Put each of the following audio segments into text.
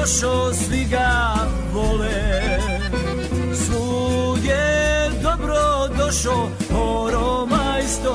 došao, svi ga vole. Svud je dobro došao, horomajstore.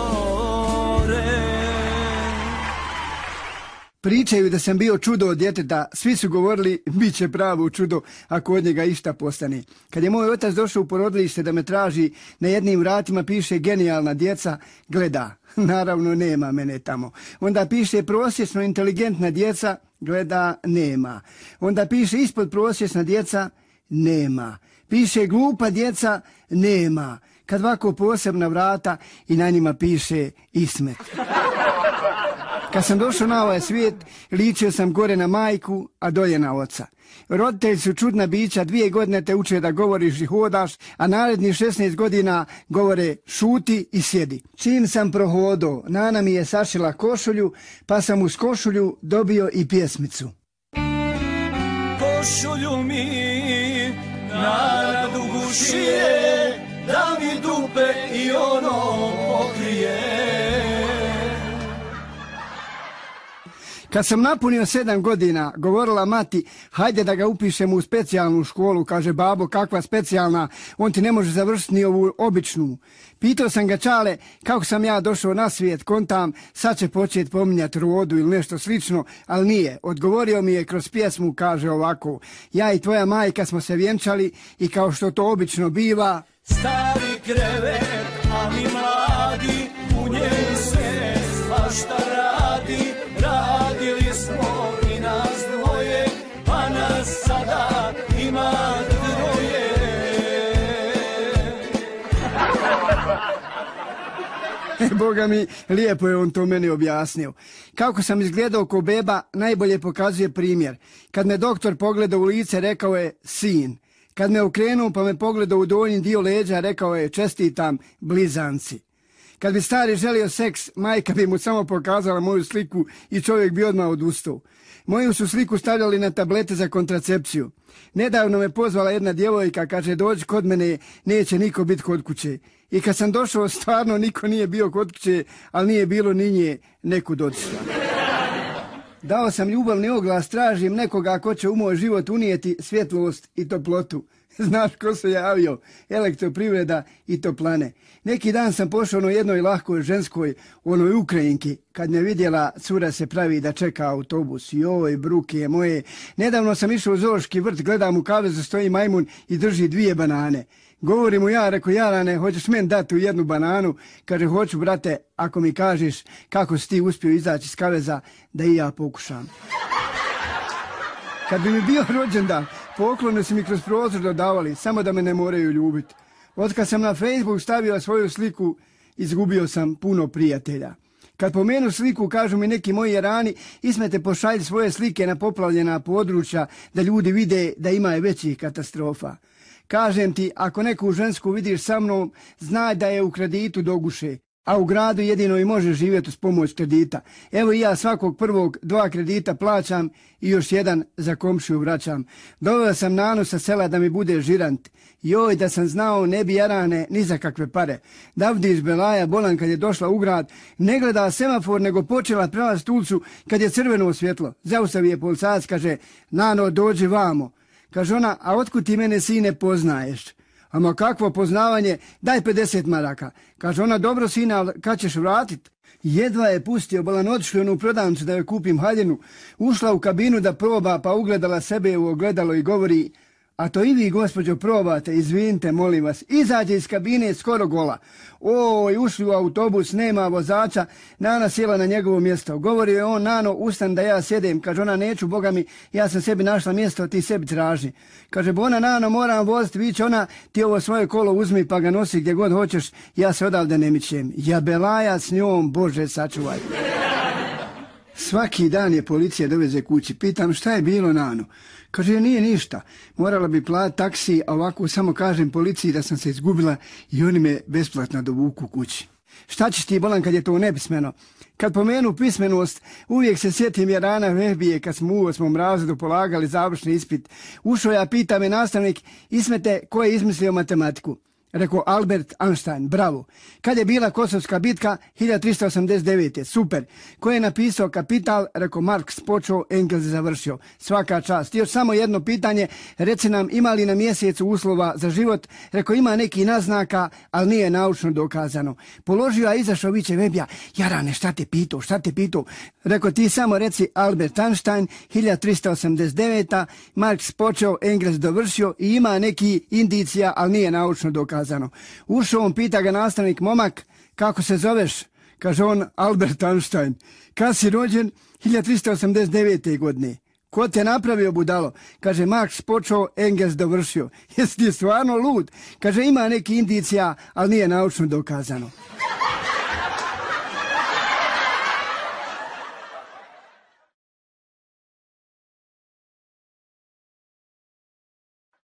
Pričaju da sam bio čudo od djeteta, svi su govorili bit će pravo čudo ako od njega išta postane. Kad je moj otac došao u porodilište da me traži, na jednim vratima piše genijalna djeca, gleda, naravno nema mene tamo. Onda piše prosječno inteligentna djeca, gleda, nema. Onda piše ispod prosječna djeca, nema. Piše glupa djeca, nema. Kad ovako posebna vrata i na njima piše Ismet. Kad sam došao na ovaj svijet, ličio sam gore na majku, a dolje na oca. Roditelji su čudna bića, 2 godine te uče da govoriš i hodaš, a narednih 16 godina govore šuti i sjedi. Čim sam prohodao, nana mi je sašila košulju, pa sam uz košulju dobio i pjesmicu. Košulju mi na dugu šije, da mi dupe i ono pokrije. Kad sam napunio 7 godina, govorila mati, hajde da ga upišemo u specijalnu školu. Kaže, babo, kakva specijalna, on ti ne može završiti ni ovu običnu. Pitao sam ga, čale, kako sam ja došao na svijet, kontam, sad će početi pominjati rodu ili nešto slično, ali nije. Odgovorio mi je kroz pjesmu, kaže ovako, ja i tvoja majka smo se vjenčali i kao što to obično biva, stari krevet, a mi mladi, u njemu se svašta radi. Radili smo i nas dvoje, pa nas sada ima 2. Boga mi, lijepo je on to meni objasnio. Kako sam izgledao ko beba, najbolje pokazuje primjer. Kad me doktor pogledao u lice, rekao je sin. Kad me okrenuo pa me pogledao u donji dio leđa, rekao je čestitam, blizanci. Kad bi stari želio seks, majka bi mu samo pokazala moju sliku i čovjek bi odmah odustao. Moju su sliku stavljali na tablete za kontracepciju. Nedavno me pozvala jedna djevojka, kaže, dođi kod mene, neće niko biti kod kuće. I kad sam došao, stvarno niko nije bio kod kuće, ali nije bilo ni nje nekud otišla. Dao sam ljubavni oglas, tražim nekoga ko će u moj život unijeti svjetlost i toplotu. Znaš ko se javio? Elektroprivreda i toplane. Neki dan sam pošao na jednoj lahkoj ženskoj, onoj Ukrajinki, kad me vidjela, cura se pravi da čeka autobus. Joj, bruke moje. Nedavno sam išao u zoološki vrt, gledam u kavezu stoji majmun i drži 2 banane. Govorim mu ja, reko, Jarane, hoćeš meni dati u 1 bananu? Kaže, hoću, brate, ako mi kažeš kako si ti uspio izaći iz kaveza, da i ja pokušam. Kad bi mi bio rođendan, poklone su mi kroz prozor dodavali, samo da me ne moraju ljubiti. Otkad sam na Facebook stavio svoju sliku, izgubio sam puno prijatelja. Kad pomenu sliku, kažu mi neki moji Jarani, Ismete, pošalji svoje slike na poplavljena područja, da ljudi vide da ima je većih katastrofa. Kažem ti, ako neku žensku vidiš sa mnom, znaj da je u kreditu do guše, a u gradu jedino i može živjeti uz pomoć kredita. Evo i ja svakog prvog 2 kredita plaćam i još 1 za komšiju vraćam. Doveo sam Nanu sa sela da mi bude žirant. Joj, da sam znao, ne bi Jarane ni za kakve pare. Davdić Belaja bolan kad je došla u grad, ne gleda semafor nego počela prelaziti ulicu kad je crveno svjetlo. Zaustavi je policajac, kaže, Nano, dođi vamo. Kaže ona, a otkud ti mene, sine, poznaješ? Ama kakvo poznavanje, daj 50 maraka. Kaže ona, dobro sine, ali kad ćeš vratit? Jedva je pustio, bolan otišli onu prodavnicu da joj kupim haljinu, ušla u kabinu da proba, pa ugledala sebe u ogledalo i govori, a to i vi, gospođo, probate, izvinite, molim vas. Izađe iz kabine skoro gola. Oj, ušli u autobus, nema vozača, Nana sjela na njegovo mjesto. Govorio je on, Nano, ustan da ja sjedem. Kaže ona, neću, Boga mi, ja sam sebi našla mjesto, ti sebi traži. Kaže, bona, Nano, moram voziti, viće ona, ti ovo svoje kolo uzmi pa ga nosi gdje god hoćeš, ja se odavde ne mičem. Ja Belaja s njom, Bože, sačuvaj. Svaki dan je policija doveze kući. Pitam, šta je bilo, Nano? Kaže, nije ništa. Morala bi platiti taksi, a ovako samo kažem policiji da sam se izgubila i oni me besplatno dovuku kući. Šta ćeš ti, bolan, kad je to nepismeno? Kad pomenu pismenost, uvijek se sjetim Jarana Vehbije kad smo u 8. razredu polagali završni ispit. Ušao ja, pita me nastavnik, Ismete, ko je izmislio matematiku? Rekao Albert Einstein, bravo. Kad je bila Kosovska bitka? 1389. Super. Ko je napisao Kapital? Rekao Marks počeo, Engels završio. Svaka čast. Još samo jedno pitanje. Reci nam, ima li na mjesecu uslova za život? Rekao ima neki naznaka, ali nije naučno dokazano. Položio, a izašao viče Vebija. Jarane, šta te pitao? Rekao ti samo reci Albert Einstein, 1389. Marks počeo, Engels dovršio i ima neki indicija, ali nije naučno dokazano. Ušao on, pita ga nastavnik, momak, kako se zoveš? Kaže on, Albert Einstein. Kad si rođen? 1389. godine. Ko te napravio, budalo? Kaže, Marks počeo, Engels dovršio. Jesi ti stvarno lud? Kaže, ima neki indicija, ali nije naučno dokazano.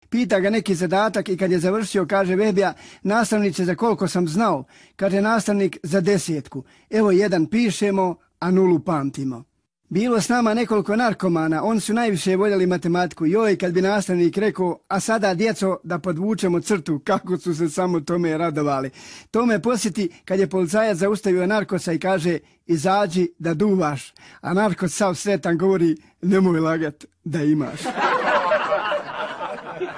Pita ga neki zadatak i kad je završio, kaže Vebija, nastavniče, za koliko sam znao? Kaže nastavnik, za 10. Evo 1 pišemo, a 0 pamtimo. Bilo s nama nekoliko narkomana, oni su najviše voljeli matematiku. Joj, kad bi nastavnik rekao, a sada djeco da podvučemo crtu, kako su se samo tome radovali. To me posjeti kad je policajac zaustavio narkosa i kaže, izađi da duvaš. A narkos sav sretan govori, nemoj lagat da imaš.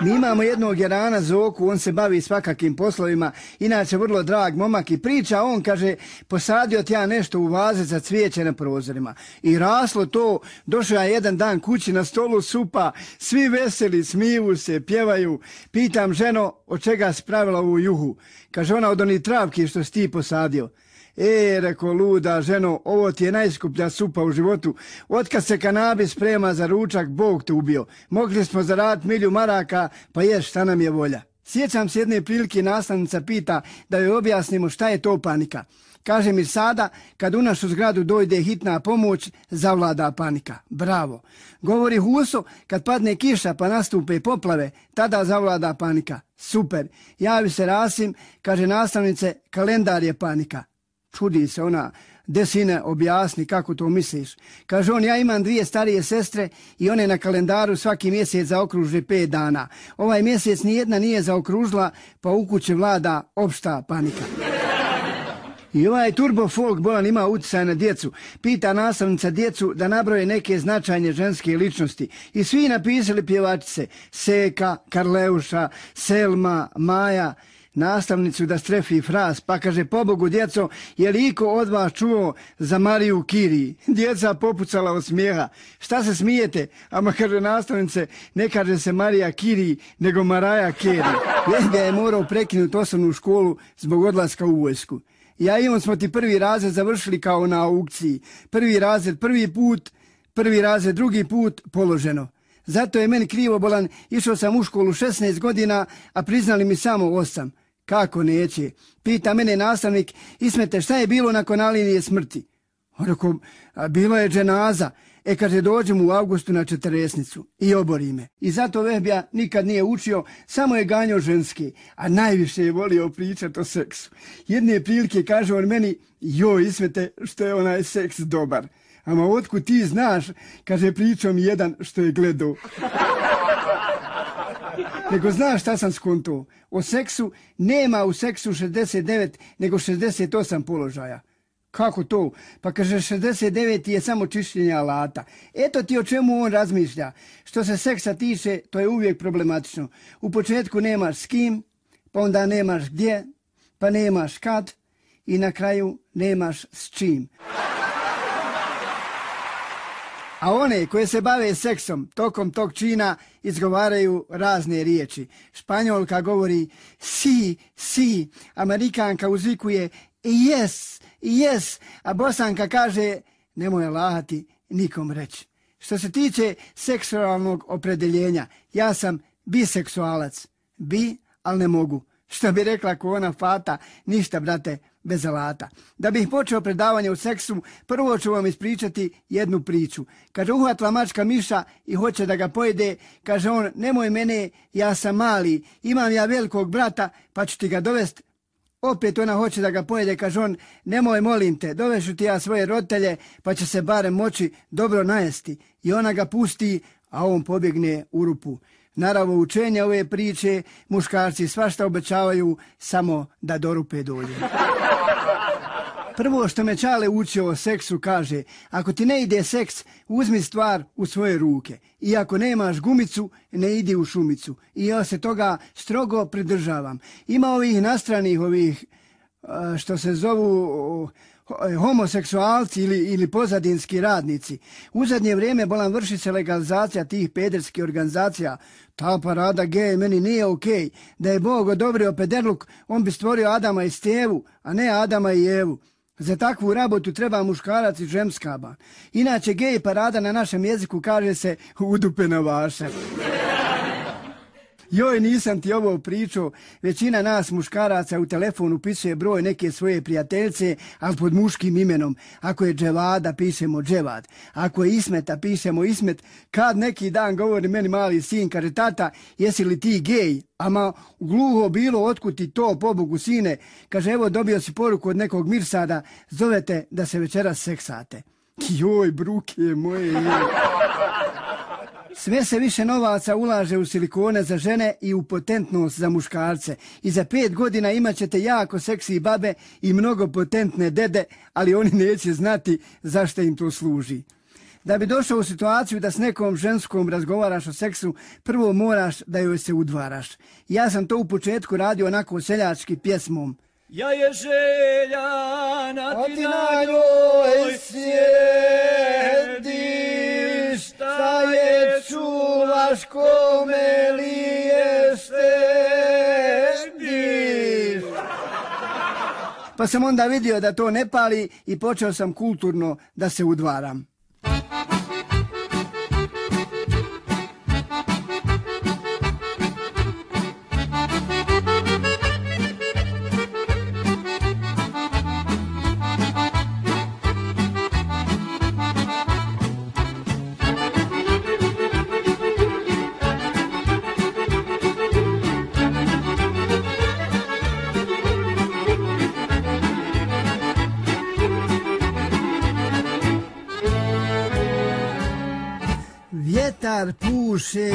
Mi imamo jednog Jerana Zoku, on se bavi svakakim poslovima, inače vrlo drag momak i priča, on kaže, posadio ti ja nešto u vaze za cvijeće na prozorima. I raslo to, došao ja jedan dan kući, na stolu supa, svi veseli, smiju se, pjevaju. Pitam ženo, od čega si pravila ovu juhu? Kaže ona, od onih travki što si ti posadio. Rekao, luda ženo, ovo ti je najskuplja supa u životu. Otkad se kanabis sprema za ručak, Bog te ubio. Mogli smo zaraditi 1.000 maraka, pa ješ, šta nam je volja. Sjećam se jedne prilike, nastavnica pita da joj objasnimo šta je to panika. Kaže mi sada, kad u našu zgradu dojde hitna pomoć, zavlada panika. Bravo. Govori Huso, kad padne kiša pa nastupe poplave, tada zavlada panika. Super. Javi se Rasim, kaže nastavnice, kalendar je panika. Čudi se ona, desine, objasni kako to misliš. Kaže on, ja imam 2 starije sestre i one na kalendaru svaki mjesec zaokruže 5 dana. Ovaj mjesec nijedna nije zaokružila, pa u kući vlada opšta panika. I ovaj turbo folk bolan ima utjecaj na djecu. Pita nastavnica djecu da nabroje neke značajne ženske ličnosti. I svi napisali pjevačice. Seka, Karleuša, Selma, Maja. Nastavnicu da strefi fraz, pa kaže, pobogu djeco, je li iko od vas čuo za Mariju Kiri? Djeca popucala od smijeha. Šta se smijete? Ama kaže nastavnice, ne kaže se Marija Kiri, nego Maraja Keri. Vega je morao prekinuti osnovnu školu zbog odlaska u vojsku. Ja i on smo ti 1. razred završili kao na aukciji. 1. razred 1. put, 1. razred 2. put položeno. Zato je meni krivo bolan, išao sam u školu 16 godina, a priznali mi samo 8. Kako neće? Pita mene nastavnik, Ismete, šta je bilo nakon linije smrti? Rekao, bilo je dženaza. Kaže, dođem u avgustu na 40 i obori me. I zato Vebija nikad nije učio, samo je ganjao ženski, a najviše je volio pričati o seksu. Jedne prilike kaže on meni, joj Ismete, što je onaj seks dobar. Ama otkud ti znaš, kaže, pričao mi jedan što je gledao. Nego znaš šta sam skonto? O seksu nema u seksu 69, nego 68 položaja. Kako to? Pa kaže 69 je samo čišćenje alata. Eto ti o čemu on razmišlja. Što se seksa tiče, to je uvijek problematično. U početku nemaš s kim, pa onda nemaš gdje, pa nemaš kad i na kraju nemaš s čim. A one koje se bave seksom tokom tog čina izgovaraju razne riječi. Španjolka govori si, Amerikanka uzvikuje yes, a Bosanka kaže nemoj lahati nikom reći. Što se tiče seksualnog opredeljenja, ja sam biseksualac. Ali ne mogu. Što bi rekla ko ona Fata, ništa brate, bez alata. Da bih počeo predavanje o seksu, prvo ću vam ispričati jednu priču. Kaže, uhvatila mačka miša i hoće da ga pojede. Kaže on, nemoj mene, ja sam mali, imam ja velikog brata, pa ću ti ga dovesti. Opet ona hoće da ga pojede, kaže on, nemoj molim te, dovešu ti ja svoje roditelje, pa će se barem moći dobro najesti. I ona ga pusti, a on pobjegne u rupu. Naravno, učenje ove priče muškarci svašta obećavaju, samo da do rupe dođe. Prvo što me Čale učio o seksu kaže, ako ti ne ide seks, uzmi stvar u svoje ruke. I ako nemaš gumicu, ne idi u šumicu. I ja se toga strogo pridržavam. Ima ovih nastranih, što se zovu homoseksualci ili pozadinski radnici. U zadnje vrijeme bolan vrši se legalizacija tih pederskih organizacija. Ta parada gej meni nije okej. Da je Bog odobrio pederluk, on bi stvorio Adama i Stevu, a ne Adama i Evu. Za takvu rabotu treba muškarac i žemskaba. Inače, gej parada na našem jeziku kaže se udupena vaša. Joj, nisam ti ovo pričao, većina nas muškaraca u telefonu upisuje broj neke svoje prijateljce, ali pod muškim imenom. Ako je Dževada, pišemo Dževad. Ako je Ismeta, pišemo Ismet. Kad neki dan govori meni mali sin, kaže, tata, jesi li ti gej? Ama gluho bilo, otkud ti to, pobogu sine? Kaže, evo, dobio si poruku od nekog Mirsada, zovete da se večeras seksate. Joj, bruke moje. Sve se više novaca ulaže u silikone za žene i u potentnost za muškarce. I za 5 godina imat ćete jako seksi babe i mnogo potentne dede, ali oni neće znati zašto im to služi. Da bi došao u situaciju da s nekom ženskom razgovaraš o seksu, prvo moraš da joj se udvaraš. Ja sam to u početku radio onako seljački pjesmom. Ja je željana, a ti na njoj sjediš, šta je čuvaš, kome li je štediš. Pa sam onda vidio da to ne pali i počeo sam kulturno da se udvaram. Vjetar puše,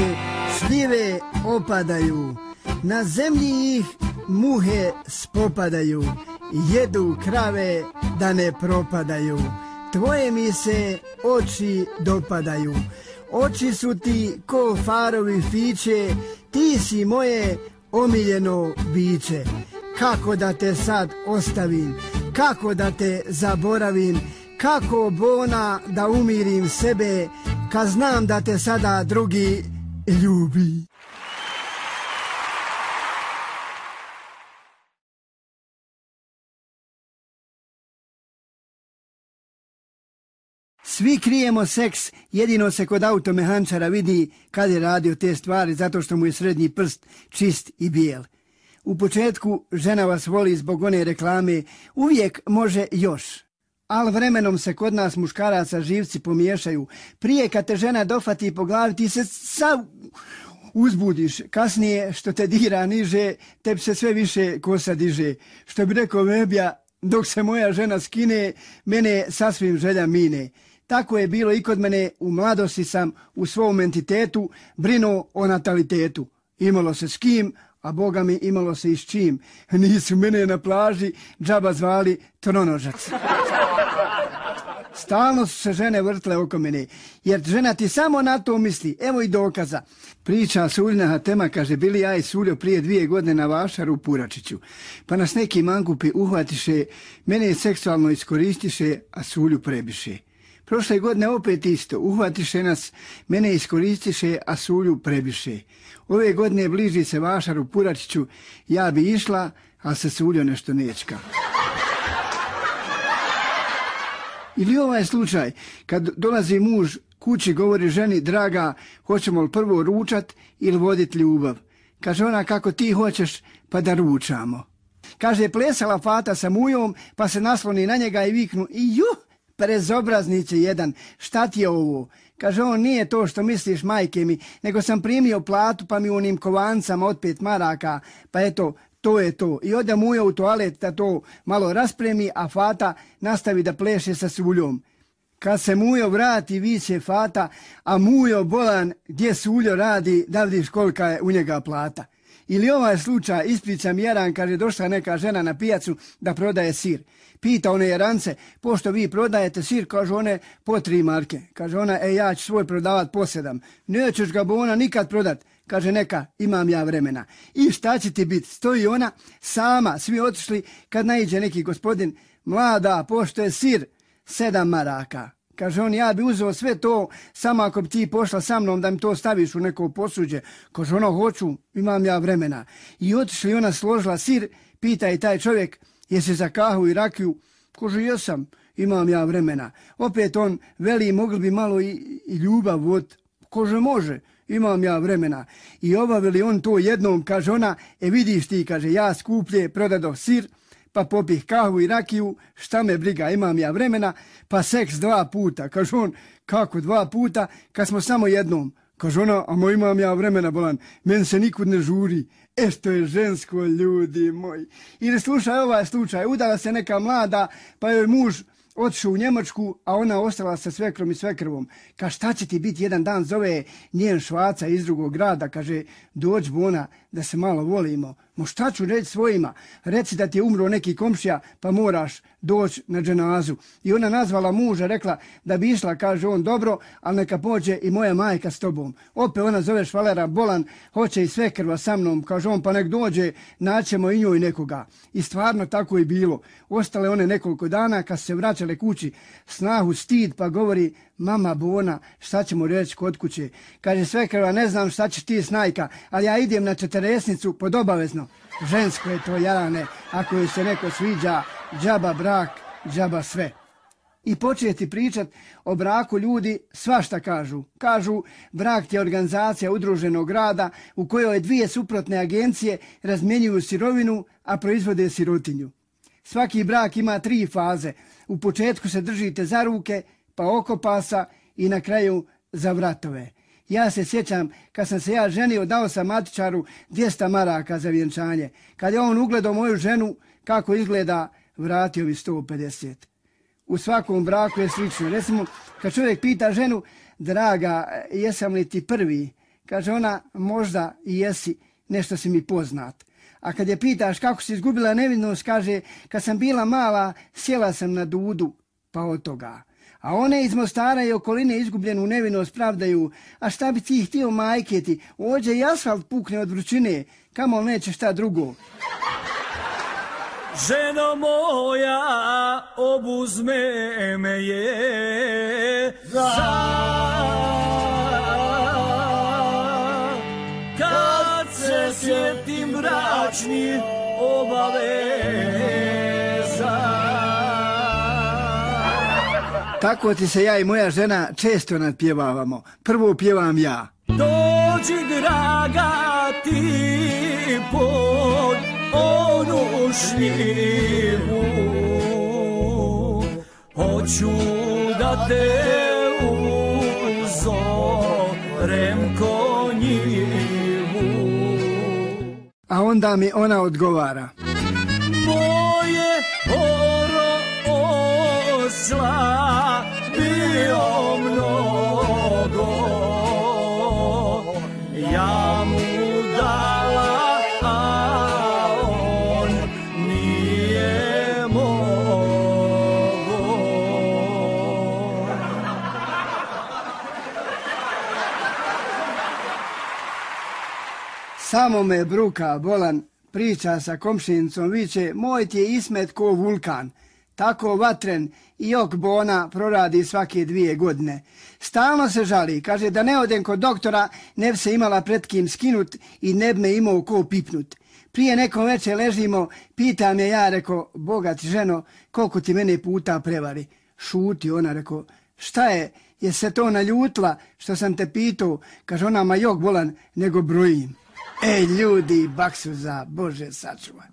šljive opadaju, na zemlji ih muhe spopadaju, jedu krave da ne propadaju, tvoje mi se oči dopadaju, oči su ti ko farovi fiće, ti si moje omiljeno biće. Kako da te sad ostavim, kako da te zaboravim, kako bona da umirim sebe, kad znam da te sada drugi ljubi. Svi krijemo seks, jedino se kod automehančara vidi kad je radio te stvari, zato što mu je srednji prst čist i bijel. U početku žena vas voli zbog one reklame, uvijek može još. Ali vremenom se kod nas muškaraca živci pomiješaju. Prije kad te žena dofati po glavi, ti se sav uzbudiš. Kasnije što te dira niže, tebi se sve više kosa diže. Što bi rekao Vebja, dok se moja žena skine, mene sasvim želja mine. Tako je bilo i kod mene, u mladosti sam u svom entitetu brinuo o natalitetu. Imalo se s kim, a Boga mi imalo se i s čim. Nisu mene na plaži džaba zvali tronožac. Stalno su se žene vrtle oko mene, jer žena ti samo na to misli. Evo i dokaza. Priča Suljina tema, kaže, bili ja i Suljo prije 2 godine na vašaru u Puračiću. Pa nas neki mangupi uhvatiše, mene seksualno iskoristiše, a Sulju prebiše. Prošle godine opet isto, uhvatiše nas, mene iskoristiše, a Sulju prebiše. Ove godine bliži se vašar u Puračiću, ja bi išla, a se Suljo nešto nečka. Ili ovaj slučaj, kad dolazi muž kući, govori ženi, draga, hoćemo li prvo ručat ili vodit ljubav? Kaže ona, kako ti hoćeš, pa da ručamo. Kaže, plesala Fata sa mujom, pa se nasloni na njega i viknu, i prezobraznice jedan, šta ti je ovo? Kaže on, nije to što misliš, majke mi, nego sam primio platu pa mi u onim kovancama od 5 maraka, pa eto, to je to. I ode muja u toalet da to malo raspremi, a Fata nastavi da pleše sa Suljom. Kad se Mujo vrati, viće Fata, a Mujo bolan gdje Suljo radi, da vidiš kolika je u njega plata. Ili ovaj slučaj, ispričam Jaran, kaže došla neka žena na pijacu da prodaje sir. Pita one Jarance, pošto vi prodajete sir, kaže one, po 3 marke. Kaže ona, ja ću svoj prodavat po 7. Nećeš ga bona nikad prodat. Kaže neka, imam ja vremena. I šta će ti biti? Stoji ona sama, svi otišli, kad naiđe neki gospodin, mlada, pošto je sir 7 maraka. Kaže on, ja bi uzeo sve to, samo ako bi ti pošla sa mnom da mi to staviš u neko posuđe. Kaže ona, hoću, imam ja vremena. I otišli, ona složila sir, pita i taj čovjek, jesi za kahu i rakiju? Kaže, jesam, imam ja vremena. Opet on veli, mogli bi malo i ljubav vod. Kaže, može, imam ja vremena. I obavili on to jednom, kaže ona, vidiš ti, kaže, ja skuplje prodadoh sir, pa popih kahu i rakiju, šta me briga, imam ja vremena, pa seks 2 puta. Kaže on, kako 2 puta, kad smo samo jednom. Kaže ona, a imam ja vremena, bolan, meni se nikud ne žuri. Što je žensko, ljudi moji. Ili slušaj ovaj slučaj, udala se neka mlada, pa joj muž otišao u Njemačku, a ona ostala sa svekrom i svekrvom. Kaže, šta će ti biti, jedan dan zove njen švaca iz drugog grada, kaže, dođi bona da se malo volimo. Mo šta ću reći svojima? Reci da ti je umro neki komšija, pa moraš doći na dženazu. I ona nazvala muža, rekla da bi išla, kaže on, dobro, ali neka pođe i moja majka s tobom. Opet ona zove švalera bolan, hoće i svekrva sa mnom, kaže on, pa nek dođe, naćemo i njoj nekoga. I stvarno tako je bilo. Ostale one nekoliko dana, kad se vraćale kući, snahu stid, pa govori, mama bona, šta ćemo reći kod kuće? Kaže svekrva, ne znam šta ćeš ti snajka, ali ja idem na 40 pod obavezno. Žensko je to, Jarane, ako joj se neko sviđa, džaba brak, džaba sve. I početi pričat o braku ljudi svašta kažu. Kažu, brak je organizacija udruženog rada u kojoj 2 suprotne agencije razmjenjuju sirovinu, a proizvode sirotinju. Svaki brak ima 3 faze. U početku se držite za ruke, pa oko pasa i na kraju za vratove. Ja se sjećam, kad sam se ja ženio, dao sam matičaru 200 maraka za vjenčanje. Kad je on ugledao moju ženu, kako izgleda, vratio mi 150. U svakom braku je slično. Recimo, kad čovjek pita ženu, draga, jesam li ti prvi? Kaže ona, možda i jesi, nešto si mi poznat. A kad je pitaš kako si izgubila nevinost, kaže, kad sam bila mala, sjela sam na dudu, pa od toga. A one iz Mostara i okoline izgubljenu nevinost pravdaju, a šta bi ti htio majke ti, ođe i asfalt pukne od vrućine, kamo neće šta drugo. Ženo moja, obuzme me je kad se sjetim bračnih obaveza. Tako ti se ja i moja žena često nadpjevavamo. Prvo pjevam ja. Dođi draga ti pod onu šljivu, hoću da te uzorem ko njivu. A onda mi ona odgovara. Moje oro osla bio mnogo, ja mu dala, a on nije mogo. Samo me bruka bolan, priča sa komšinicom, viče, moj ti je Ismet ko vulkan. Tako vatren i ok bona proradi svake 2 godine. Stalno se žali, kaže da ne odem kod doktora, ne bi se imala pred kim skinut i ne bi me imao ko pipnut. Prije nekom večer ležimo, pita me ja, reko, Boga ti ženo, koliko ti mene puta prevari. Šuti, ona reko, šta je se to naljutila što sam te pitao? Kaže ona, ma jok bolan, nego brojim. Ej ljudi, baksuza, Bože sačuvaj.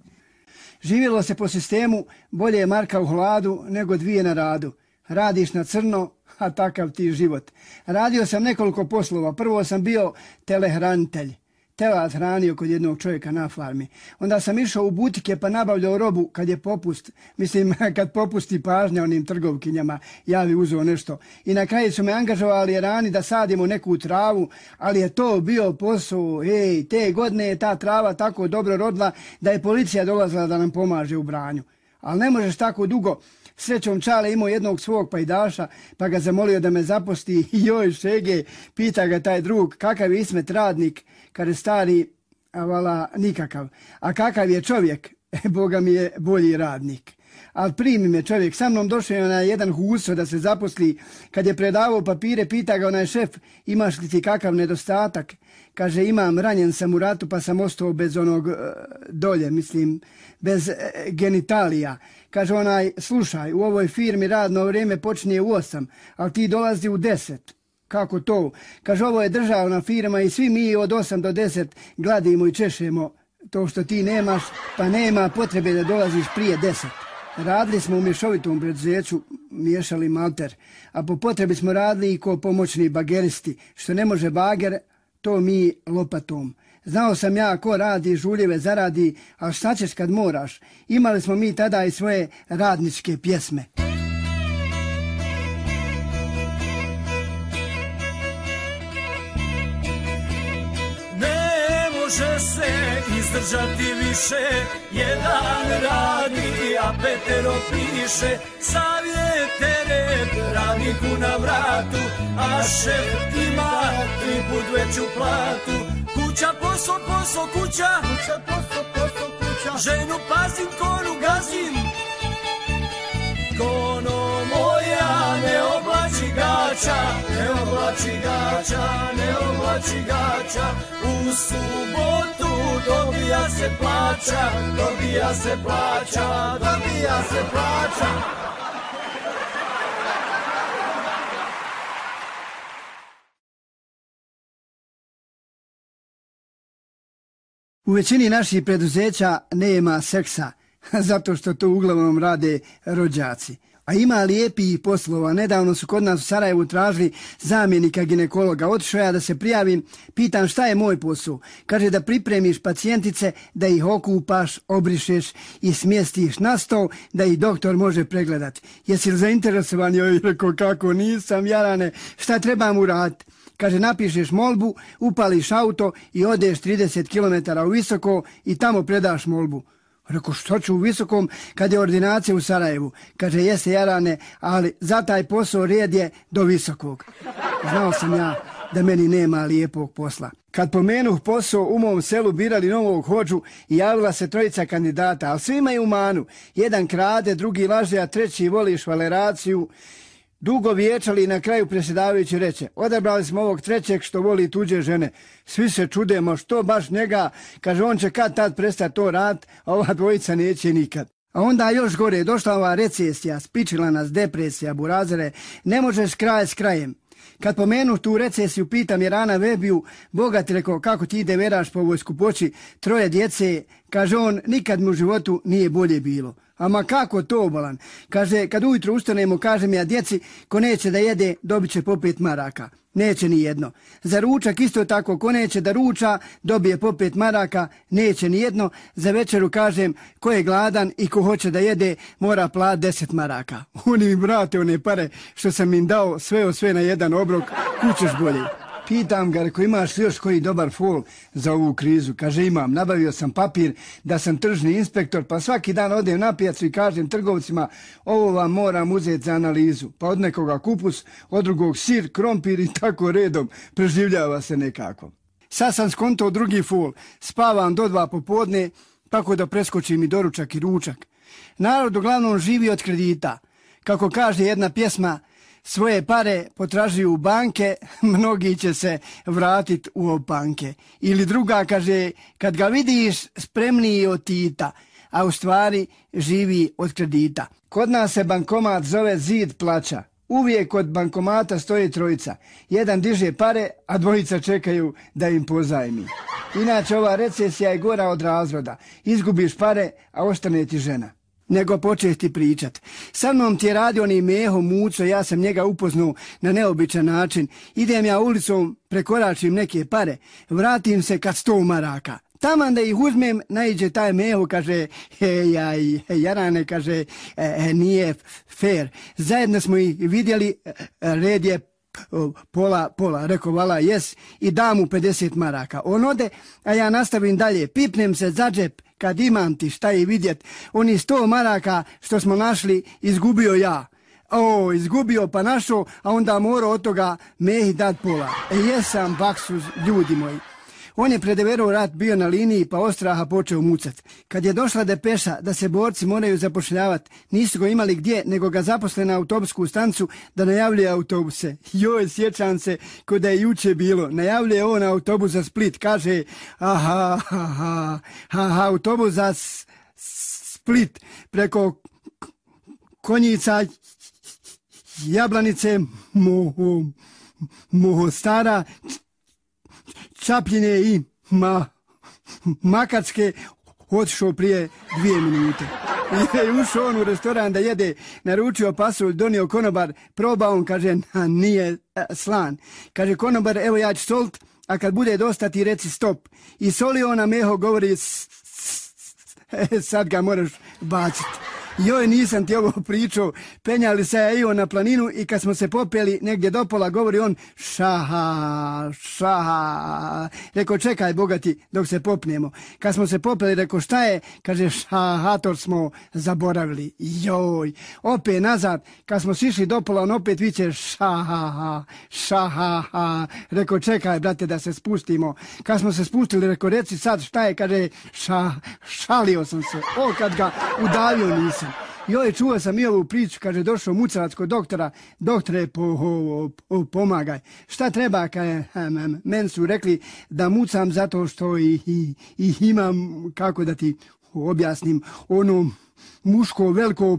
Živjelo se po sistemu, bolje je marka u hladu nego 2 na radu. Radiš na crno, a takav ti život. Radio sam nekoliko poslova. Prvo sam bio telehranitelj. telad hranio kod jednog čovjeka na farmi. Onda sam išao u butike pa nabavljao robu kad je popust. Mislim, kad popusti pažnja onim trgovkinjama, ja bi uzeo nešto. I na kraju su me angažovali Irani da sadimo neku travu, ali je to bio posao. Te godine je ta trava tako dobro rodila da je policija dolazila da nam pomaže u branju. Ali ne možeš tako dugo. Srećom Čale imao jednog svog pajdaša, pa ga zamolio da me zaposli. Joj, šege, pita ga taj drug, kakav je Ismet radnik? Kaže stari, a vala nikakav. A kakav je čovjek? Boga mi je bolji radnik. Ali primi me čovjek, sa mnom došao je na jedan huso da se zaposli. Kad je predavao papire, pita ga onaj šef, imaš li ti kakav nedostatak? Kaže, imam, ranjen sam u ratu pa sam ostao bez onog dolje, mislim, bez genitalija. Kaže onaj, slušaj, u ovoj firmi radno vrijeme počinje u 8, ali ti dolazi u 10. Kako to? Kaže, ovo je državna firma i svi mi od 8 do 10 gladimo i češemo. To što ti nemaš, pa nema potrebe da dolaziš prije 10. Radili smo u mješovitom preduzeću, miješali malter, a po potrebi smo radili i ko pomoćni bageristi. Što ne može bager, to mi lopatom. Znao sam ja ko radi, žuljeve zaradi, a šta ćeš kad moraš? Imali smo mi tada i svoje radničke pjesme. Ne može se izdržati više, jedan radi, a petero piše. Savjete red radniku na vratu, a šef ima 3 put veću platu. Kuća, posao, posao, kuća, kuća, posao, posao, kuća. Ženu pazim, koru gazim, kono moja ne oblači gača, ne oblači gača, ne oblači gača. U subotu dobija se plaća, dobija se plaća, dobija se plaća. U većini naših preduzeća nema seksa, zato što to uglavnom rade rođaci. A ima lijepih poslova. Nedavno su kod nas u Sarajevu tražili zamjenika ginekologa. Otišao ja da se prijavim, pitam šta je moj posao. Kaže da pripremiš pacijentice, da ih okupaš, obrišeš i smjestiš na stol, da ih doktor može pregledati. Jesi li zainteresovan? Joj, rekao, kako nisam, jarane, šta trebam uraditi? Kaže, napišeš molbu, upališ auto i odeš 30 km u Visoko i tamo predaš molbu. Rekao, što ću u Visokom kad je ordinacija u Sarajevu? Kaže, jeste jarane, ali za taj posao red je do Visokog. Znao sam ja da meni nema lijepog posla. Kad pomenuh posao, u mom selu birali novog hodžu i javila se 3 kandidata, ali svi imaju manu. Jedan krade, drugi laže, a treći voli švaleraciju. Dugo vječali i na kraju predsjedavajući reče, odabrali smo ovog trećeg što voli tuđe žene. Svi se čudemo, što baš njega? Kaže, on će kad tad prestati to rad, a ova dvojica neće nikad. A onda još gore, došla ova recesija, spičila nas depresija, burazere, ne možeš kraj s krajem. Kad pomenu tu recesiju, pitam Jerana Vebiju, Boga ti rekao, kako ti ide veraš po ovoj skupoći, 3 djece, kaže on, nikad mu u životu nije bolje bilo. Ama kako to, bolan? Kaže, kad ujutro ustanemo, kažem ja djeci, ko neće da jede, dobit će po 5 maraka. Neće ni jedno. Za ručak isto tako, ko neće da ruča, dobije po 5 maraka, neće ni jedno. Za večeru kažem, ko je gladan i ko hoće da jede, mora platiti 10 maraka. Oni mi brate one pare što sam im dao sve na jedan obrok, kućeš bolje. Pitam ga, reko, imaš još koji dobar fol za ovu krizu? Kaže, imam, nabavio sam papir da sam tržni inspektor, pa svaki dan odem na pijacu i kažem trgovcima, ovo vam moram uzeti za analizu. Pa od nekoga kupus, od drugog sir, krompir i tako redom, preživljava se nekako. Sad sam skontao drugi fol, spavam do 2 popodne, tako da preskočim i doručak i ručak. Narod uglavnom živi od kredita. Kako kaže jedna pjesma, svoje pare potražuju banke, mnogi će se vratiti u opanke. Ili druga kaže, kad ga vidiš spremniji od Tita, a u stvari živi od kredita. Kod nas se bankomat zove zid plaća. Uvijek kod bankomata stoji 3. Jedan diže pare, a 2 čekaju da im pozajmi. Inače ova recesija je gora od razvoda. Izgubiš pare, a ostane ti žena. nego početi pričat. Sa mnom ti je radio ni Meho Muco, ja sam njega upoznao na neobičan način. Idem ja ulicom, prekoračim neke pare, vratim se kad 100 maraka. Taman da ih uzmem, naiđe taj Meho, kaže, Jarane, kaže, nije fair. Zajedno smo ih vidjeli, red je pola, rekao vala jes i dam mu 50 maraka. On ode, a ja nastavim dalje, pipnem se za džep, kad imam ti šta i vidjet. Oni 100 maraka što smo našli, izgubio ja. Izgubio pa našao, a onda morao od toga Mehi dat pola. Jesam baksuz, ljudi moji. On je predeverao rat bio na liniji pa ostraha počeo mucat. Kad je došla depeša da se borci moraju zapošljavati, nisu ga imali gdje nego ga zaposle na autobusku stancu da najavljuje autobuse. Joj, sjećam se ko da je juče bilo. Najavljuje on autobus za Split. Kaže, autobus za Split preko Konjica, Jablanice, Mostara, Čapljine i Makacke, otišao prije 2 minute. I ušao on u restoran da jede, naručio pasulj, donio konobar, probao on, kaže, nije slan. Kaže, konobar, evo ja ću solit, a kad bude dosta ti reci stop. I solio na Meho, govori, sad ga moraš baciti. Joj, nisam ti ovo pričao, penjali se ja i on na planinu i kad smo se popeli negdje do pola, govori on šaha. Rekao, čekaj bogati dok se popnemo. Kad smo se popeli, rekao, šta je? Kaže, šahator smo zaboravili. Joj, opet nazad, kad smo sišli do pola, on opet viče šaha. Rekao, čekaj brate da se spustimo. Kad smo se spustili, rekao, reci sad šta je? Kaže, šalio sam se. Kad ga udavio nisam. Joj, čuo sam i ovu priču, kaže, došao mucavac kod doktora, doktore, pomagaj. Šta treba, kaže, meni su rekli da mucam zato što i imam, kako da ti objasnim, ono muško veliko,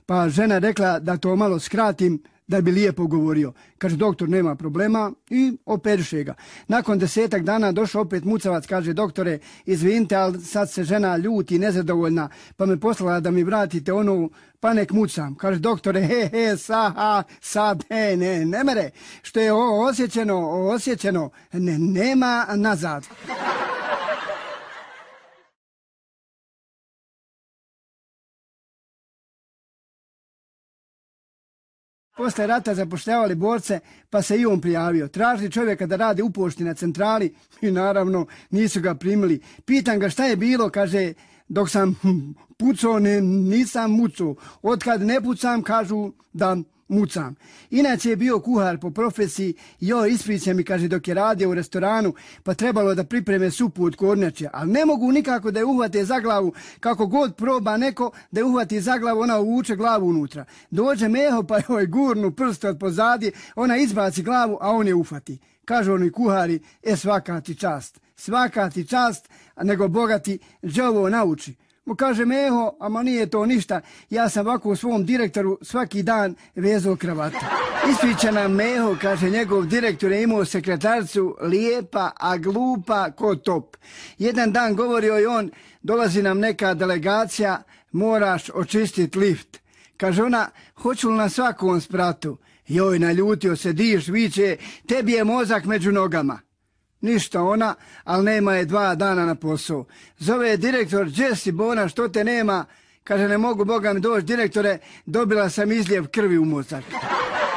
pa žena rekla da to malo skratim, da bi lijepo govorio. Kaže, doktor, nema problema i operiše ga. Nakon 10 dana došao opet mucavac, kaže, doktore, izvinite, ali sad se žena ljuti, nezadovoljna, pa me poslala da mi vratite ono, pa nek mucam. Kaže, doktore, sad, ne mere, što je osjećeno, nema nazad. Posle rata zapošljavali borce, pa se i on prijavio. Tražili čovjeka da radi u pošti na centrali i naravno nisu ga primili. Pitam ga šta je bilo, kaže, dok sam pucao, nisam mucao. Otkad ne pucam, kažu da mucam. Inače je bio kuhar po profesiji, ispriča mi, kaže, dok je radio u restoranu, pa trebalo da pripreme supu od kornjače, ali ne mogu nikako da je uhvate za glavu, kako god proba neko da je uhvati za glavu, ona uvuče glavu unutra. Dođe Meho, pa joj gurnu prst od pozadi, ona izbaci glavu, a on je ufati. Kažu oni kuhari, svaka ti čast, nego bogati đavo nauči. Mu kaže Meho, ama nije to ništa, ja sam ovako u svom direktoru svaki dan vezao kravatu. Ispriča nam Meho, kaže, njegov direktor je imao sekretarcu lijepa, a glupa ko top. Jedan dan govorio je on, dolazi nam neka delegacija, moraš očistiti lift. Kaže ona, hoću li na svakom spratu? Joj, naljutio se, diš, viče, tebi je mozak među nogama. Ništa ona, ali nema je 2 dana na posao. Zove je direktor, Jesse Bona, što te nema? Kaže, ne mogu, Boga mi doći, direktore, dobila sam izljev krvi u mozak.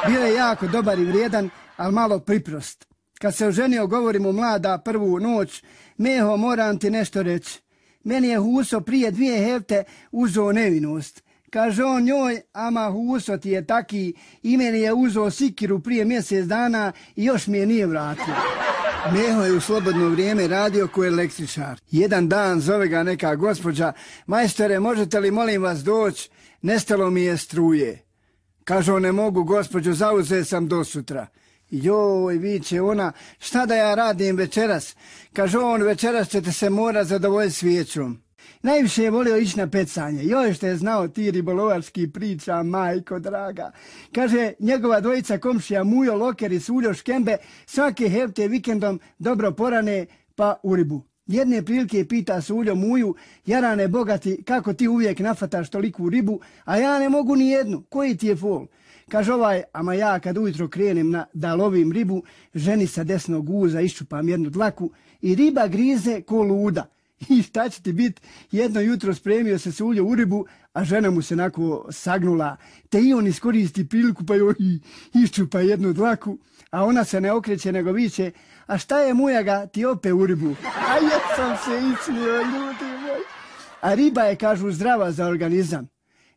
Bio je jako dobar i vrijedan, ali malo priprost. Kad se oženio, govori mu mlada prvu noć, Meho, moram ti nešto reći. Meni je Huso prije 2 hefte uzeo nevinost. Kaže on njoj, ama Huso ti je taki, i meni je uzeo sikiru prije mjesec dana i još mi je nije vratio. Meho je u slobodno vrijeme radio ko električar. Jedan dan zove ga neka gospođa, majstore, možete li molim vas doći, nestalo mi je struje. Kaže on, ne mogu gospođo, zauzet sam do sutra. Joj, viče ona, šta da ja radim večeras? Kaže on, večeras ćete se morat zadovoljiti svijećom. Najviše je volio ići na pecanje. Joj, što je znao ti ribolovarski priča, majko draga. Kaže, njegova dvojica komšija Mujo, Loker i Suljo Škembe svake hefte vikendom dobro porane pa u ribu. Jedne prilike pita Suljo Muju, jarane bogati, kako ti uvijek nafataš toliku ribu, a ja ne mogu ni jednu, koji ti je fol? Kaže ovaj, ama ja kad ujutro krenem da lovim ribu, ženi sa desnog guza iščupam jednu dlaku i riba grize ko luda. I šta će ti bit? Jedno jutro spremio se Suljo u ribu, a žena mu se onako sagnula, te i on iskoristi priliku pa joj iščupa jednu dlaku, a ona se ne okreće nego viče, a šta je mujaga, ti ope u ribu? A jesam se ismio, ljudi moj. A riba je, kažu, zdrava za organizam.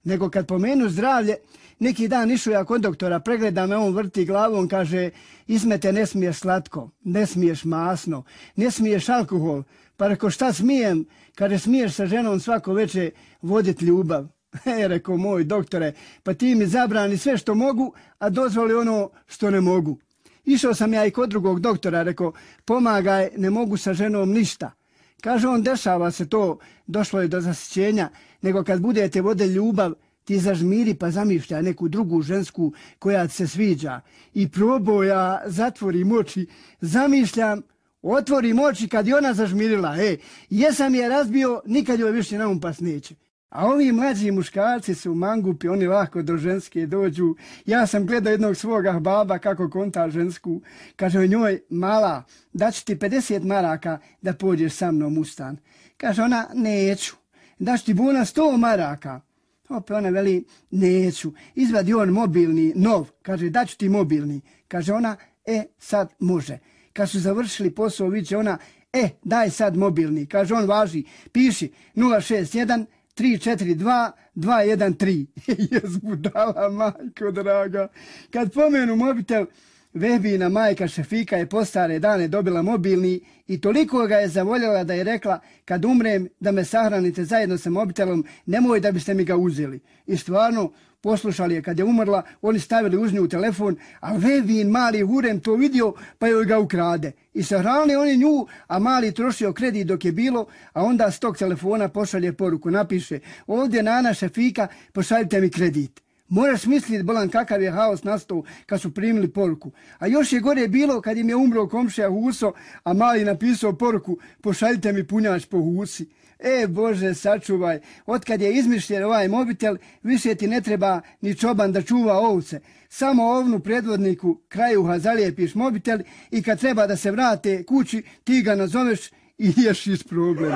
Nego kad pomenu zdravlje, neki dan išao ja kod doktora, pregleda me, on vrti glavom, kaže, Ismete, ne smiješ slatko, ne smiješ masno, ne smiješ alkohol. Pa reko, šta smijem? Kaže, smiješ sa ženom svako veče voditi ljubav. Reko, moj doktore, pa ti mi zabrani sve što mogu, a dozvoli ono što ne mogu. Išao sam ja i kod drugog doktora, reko, pomagaj, ne mogu sa ženom ništa. Kaže on, dešava se to, došlo je do zasićenja, nego kad budete vode ljubav, ti zažmiri pa zamišljaj neku drugu žensku koja ti se sviđa. I probao ja, zatvorim oči, zamišljam, otvorim oči kad je ona zažmirila. Jesam je razbio, nikad joj više na um pas neće. A ovi mlađi muškarci su mangupi, oni lako do ženske dođu. Ja sam gledao jednog svoga baba kako konta žensku. Kaže o njoj, mala, daću ti 50 maraka da pođeš sa mnom u stan. Kaže ona, neću. Daću ti buna 100 maraka. Opet ona veli, neću. Izvadi on mobilni, nov. Kaže, daću ti mobilni. Kaže ona, sad može. Kad su završili posao, viće ona, daj sad mobilni. Kaže on, važi, piši 061 342 213. Jes budala, majko draga. Kad pomenu mobitel, Vehbina majka Šefika je po stare dane dobila mobilni i toliko ga je zavoljela da je rekla, kad umrem da me sahranite zajedno sa mobitelom, nemoj da biste mi ga uzeli. I stvarno, poslušali je kad je umrla, oni stavili uz nju telefon, a Vehbin mali hurem to vidio pa joj ga ukrade. I sahranili oni nju, a mali trošio kredit dok je bilo, a onda s tog telefona pošalje poruku, napiše, ovdje Nana Šefika, pošaljite mi kredit. Moraš misliti, bolan, kakav je haos nastao kad su primili poruku. A još je gore bilo kad im je umro komšija Huso, a mali napisao poruku, pošaljite mi punjač po Husi. Bože, sačuvaj, otkad je izmišljen ovaj mobitel, više ti ne treba ni čoban da čuva ovce. Samo ovnu predvodniku krajuha zalijepiš mobitel i kad treba da se vrate kući, ti ga nazoveš i riješiš problem.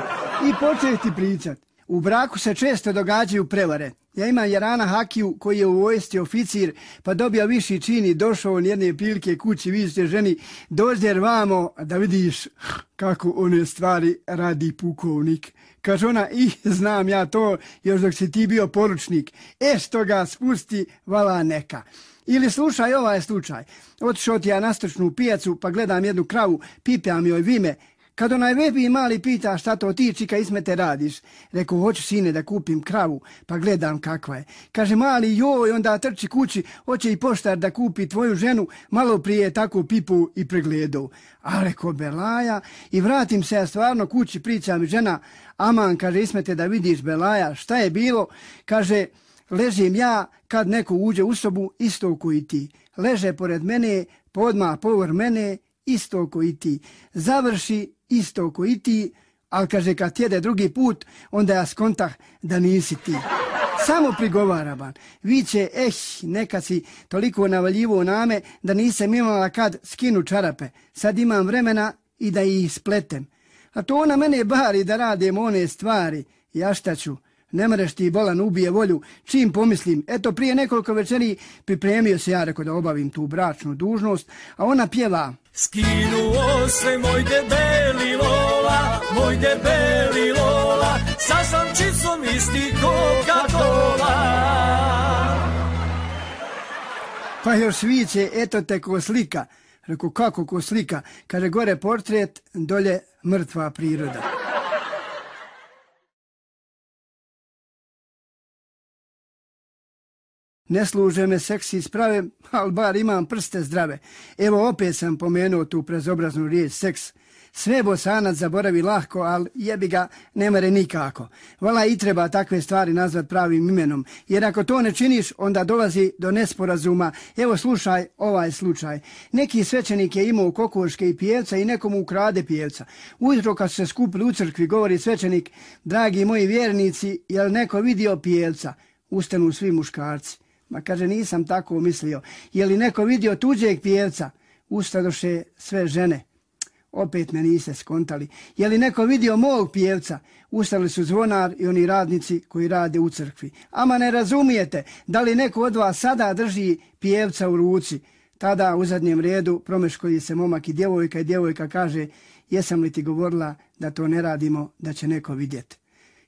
I počeš ti pričat. U braku se često događaju prevare. Ja imam Jarana Hakiju koji je u vojsci oficir, pa dobio viši čin i došao on jedne prilike kući, vidite ženi, dođer vamo da vidiš kako one stvari radi pukovnik. Kaže ona, znam ja to još dok si ti bio poručnik. Što ga spusti, vala neka. Ili slušaj ovaj slučaj. Otišao ti ja na stočnu pijacu pa gledam jednu kravu, pipjam joj vime. Kad onaj Vehbi mali pita šta to ti, čika, Ismete, radiš? Rekao, hoću sine da kupim kravu, pa gledam kakva je. Kaže mali, joj, onda trči kući, hoće i poštar da kupi tvoju ženu, malo prije tako pipu i pregledao. A rekao, belaja, i vratim se ja stvarno kući, priča mi žena, aman, kaže, Ismete, da vidiš, belaja, šta je bilo? Kaže, ležim ja kad neko uđe u sobu, isto koji ti. Leže pored mene, podmah povr mene, isto koji ti. Završi isto koji ti, ali kaže kad jede drugi put, onda ja skontah da nisi ti. Samo prigovaraban. Viće, nekad si toliko navaljivo name da nisam imala kad skinu čarape. Sad imam vremena i da ih spletem. A to ona mene bari da radim one stvari. Ja šta ću? Ne mreš ti, bolan, ubije volju. Čim pomislim, eto prije nekoliko večeri pripremio se ja, rekao da obavim tu bračnu dužnost, a ona pjeva. Skinuo se moj debeli lola, moj debeli lola, sa slamčicom isti Coca-Cola. Pa još viće, eto te ko slika. Rekao, kako ko slika? Kaže, gore portret, dolje mrtva priroda. Ne služe me seksi sprave, ali bar imam prste zdrave. Evo opet sam pomenuo tu prezobraznu riječ seks. Sve Bosanac zaboravi lahko, ali jebi ga ne mere nikako. Vala i treba takve stvari nazvat pravim imenom, jer ako to ne činiš, onda dolazi do nesporazuma. Evo slušaj ovaj slučaj. Neki svećenik je imao kokoške i pijevca i nekomu ukrade pijevca. Ujutro kad su se skupili u crkvi, govori svećenik, dragi moji vjernici, jel neko vidio pijevca? Ustanu svi muškarci. Ma kaže, nisam tako mislio. Je li neko vidio tuđeg pijevca? Ustadoše sve žene. Opet me niste skontali. Je li neko vidio mog pijevca? Ustali su zvonar i oni radnici koji rade u crkvi. Ama ne razumijete, da li neko od vas sada drži pijevca u ruci? Tada u zadnjem redu promeškoji se momak i djevojka kaže, jesam li ti govorila da to ne radimo, da će neko vidjeti?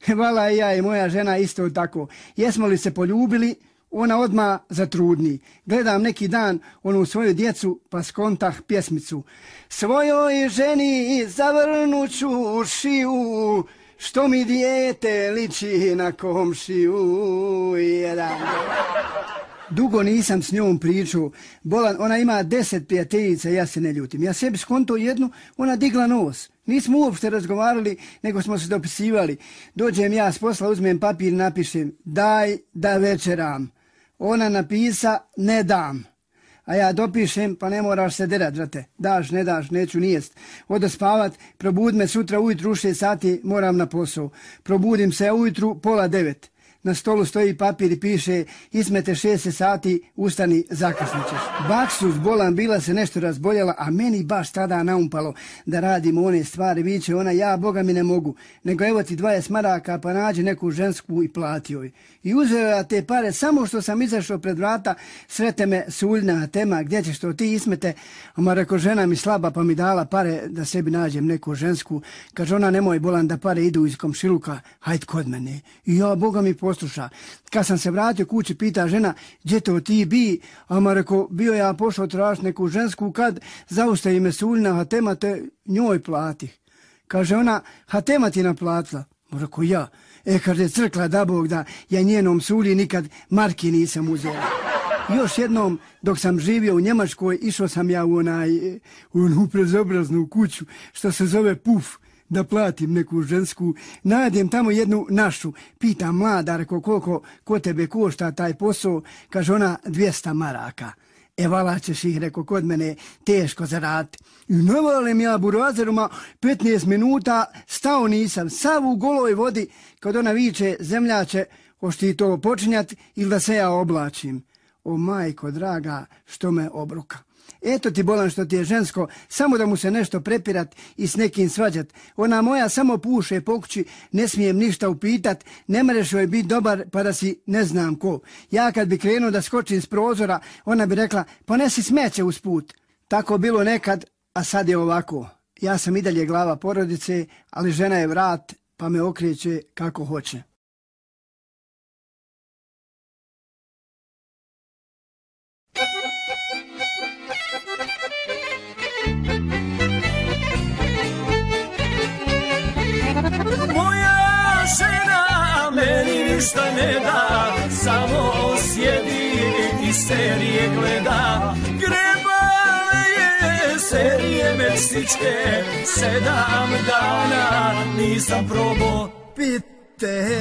Vala i ja i moja žena isto tako. Jesmo li se poljubili? Ona odmah zatrudni. Gledam neki dan onu svoju djecu pa skontah pjesmicu. Svojoj ženi zavrnuću šiju, što mi dijete liči na komšiju. Dugo nisam s njom pričao. Bolan, ona ima 10 prijateljica, ja se ne ljutim. Ja sebi skonto jednu, ona digla nos. Nismo uopšte razgovarali, nego smo se dopisivali. Dođem ja s posla, uzmem papir i napišem, daj da večeram. Ona napisa, ne dam. A ja dopišem, pa ne moraš se derat, brate. Daš, ne daš, neću nijest. Odo spavat, probud me sutra ujutru u 6 sati, moram na posao. Probudim se ujutru 8:30. Na stolu stoji papir i piše, Ismete 6 sati, ustani, zakasnićeš. Baksus, Bolan, bila se nešto razboljela, a meni baš tada naumpalo da radimo one stvari. Viće ona, ja, Boga mi ne mogu, nego evo ti 20 maraka, pa nađi neku žensku i plati joj. I uzeo ja te pare, samo što sam izašao pred vrata, srete me suljna tema, gdje ćeš to ti, Ismete? Oma reko, žena mi slaba, pa mi dala pare da sebi nađem neku žensku. Kaže ona, nemoj, Bolan, da pare idu iz komšiluka, hajde kod mene. I ja, Boga mi posluša. Kad sam se vratio kući, pita žena, gdje to ti bi? A ma reko, bio ja pošao tražiti neku žensku, kad zaustavi me suljna, hatema te njoj platih. Kaže ona, hatema ti naplatila? Ma reko, ja. Kaže, crkla da Bog da ja njenom sulji nikad marki nisam uzeo. Još jednom, dok sam živio u Njemačkoj, išao sam ja u onu prezobraznu kuću, što se zove Puf, da platim neku žensku. Nađem tamo jednu našu. Pitam mlada, reko, koliko ko tebe košta taj posao? Kaže ona, 200 maraka. Vala ćeš ih, reko, kod mene teško zaraditi. I navalim ja burazeruma 15 minuta, stao nisam, sav u goloj vodi, kad ona viče, zemljače, hoš ti to počinjat ili da se ja oblačim? O majko draga, što me obruka. Eto ti, Bolan, što ti je žensko, samo da mu se nešto prepirat i s nekim svađat. Ona moja samo puše po kući, ne smijem ništa upitat, ne mereš joj biti dobar pa da si ne znam ko. Ja kad bi krenuo da skočim s prozora, ona bi rekla, ponesi smeće usput. Tako bilo nekad, a sad je ovako. Ja sam i dalje glava porodice, ali žena je vrat, pa me okreće kako hoće. Moja žena meni ništa ne da, samo sjedi i serije gleda. Grebale je serije meksičke, 7 dana nisam probao pite.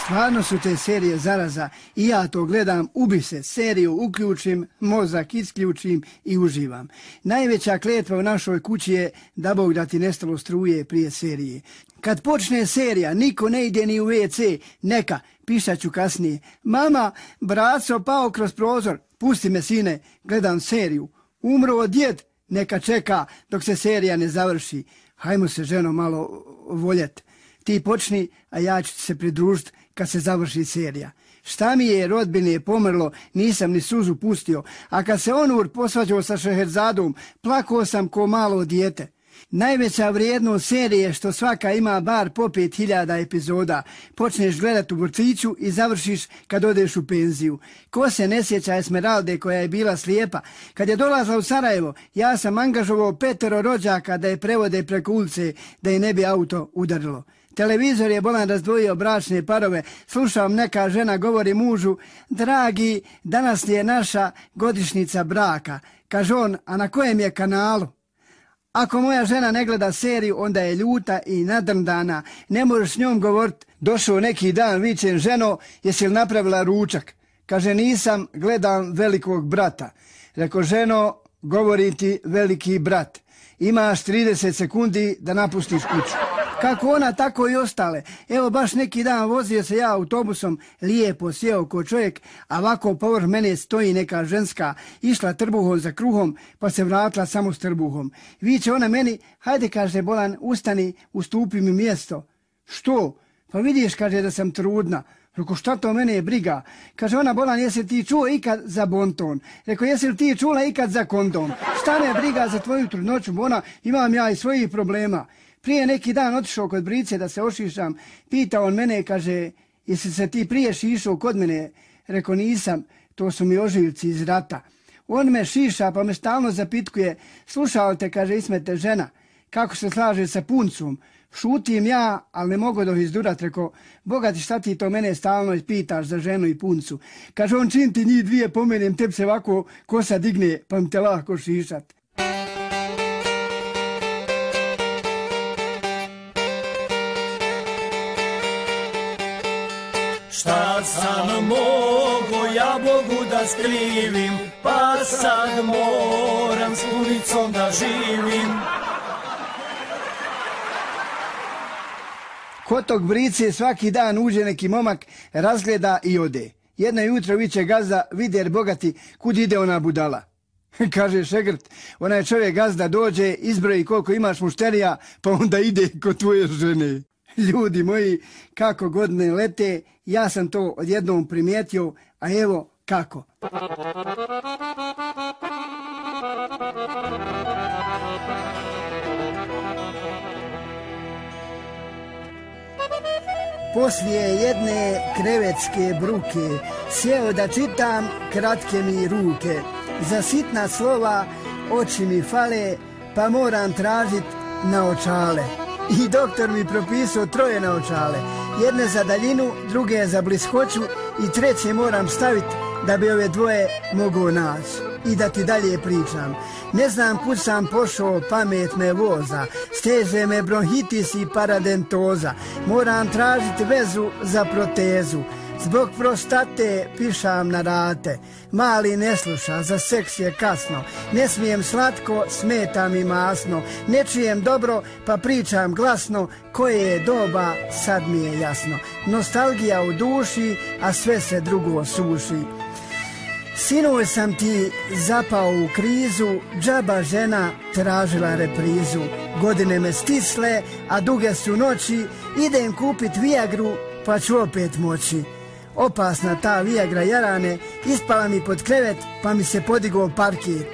Stvarno su te serije zaraza i ja to gledam, ubi se, seriju uključim, mozak isključim i uživam. Najveća kletva u našoj kući je da Bog da ti nestalo struje prije serije. Kad počne serija, niko ne ide ni u WC, neka, pišat ću kasnije. Mama, braco pao kroz prozor, pusti me sine, gledam seriju. Umro djed, neka čeka dok se serija ne završi. Hajmo se ženo malo voljet. Ti počni, a ja ću se pridružiti kad se završi serija. Šta mi je, rodbine pomrlo, nisam ni suzu pustio, a kad se Onur posvađao sa Šeherzadom, plakao sam ko malo dijete. Najveća vrijednost serije što svaka ima bar po 5000 epizoda. Počneš gledat u vrtiću i završiš kad odeš u penziju. Ko se ne sjeća Esmeralde koja je bila slijepa? Kad je dolazla u Sarajevo, ja sam angažovao 5 rođaka da je prevode preko ulice, da je ne bi auto udarilo. Televizor je bolan razdvojio bračne parove. Slušam, neka žena govori mužu: dragi, danas je naša godišnjica braka. Kaže on: a na kojem je kanalu? Ako moja žena ne gleda seriju, onda je ljuta i nadrndana. Ne možeš s njom govoriti. Došao neki dan, vičem: ženo, jesi li napravila ručak? Kaže: nisam, gledam Velikog brata. Reko: ženo, govori ti veliki brat. Imaš 30 sekundi da napustiš kuću. Kako ona, tako i ostale. Evo, baš neki dan vozio se ja autobusom, lijepo sjeo ko čovjek, a ovako povrh mene stoji neka ženska, išla trbuhom za kruhom, pa se vratila samo s trbuhom. Viče ona meni: hajde, kaže, bolan, ustani, ustupi mi mjesto. Što? Pa vidiš, kaže, da sam trudna. Reko: šta to mene je briga? Kaže ona: bolan, jesi ti čuo ikad za bonton? Reko: jesi li ti čula ikad za kondom? Šta me briga za tvoju trudnoću, bona, imam ja i svojih problema. Prije neki dan otišao kod Brice da se ošišam, pita on mene, kaže: jesi se ti prije šišao kod mene? Reko: nisam, to su mi ožiljci iz rata. On me šiša pa me stalno zapitkuje: slušao te, kaže, Ismete, žena, kako se slaže sa puncom? Šutim ja, ali ne mogu dok izdurat. Reko: boga ti, šta ti to mene stalno pitaš za ženu i puncu? Kaže on: čim ti njih dvije pomenem, tebi se ovako kosa digne, pa mi te lako šišat. Šta sam mogo ja Bogu da skrivim, pa sad moram s punicom da živim. Kod tog Brice svaki dan uđe neki momak, razgleda i ode. Jedno jutro viče gazda: vider bogati, kud ide ona budala? Kaže šegrt: onaj čovjek gazda dođe, izbroji koliko imaš mušterija, pa onda ide kod tvoje žene. Ljudi moji, kako godine lete, ja sam to odjednom primijetio, a evo kako. Poslije jedne krevetske bruke sjeo da čitam, kratke mi ruke. Za sitna slova oči mi fale, pa moram tražit naočale. I doktor mi propisao 3 naočale. Jedne za daljinu, druge za bliskoću i 3 moram staviti da bi ove 2 mogo naći. I da ti dalje pričam. Ne znam kud sam pošao, pamet me voza, steže me bronhitis i paradentoza. Moram tražiti vezu za protezu. Zbog prostate pišam na rate. Mali ne sluša, za seks je kasno. Ne smijem slatko, smeta mi masno. Ne čujem dobro, pa pričam glasno. Koje je doba, sad mi je jasno. Nostalgija u duši, a sve se drugo suši. Sinoć sam ti zapao u krizu, džaba žena tražila reprizu. Godine me stisle, a duge su noći, idem kupit Viagru, pa ću opet moći. Opasna ta Viagra, jarane, ispala mi pod krevet, pa mi se podigao parket.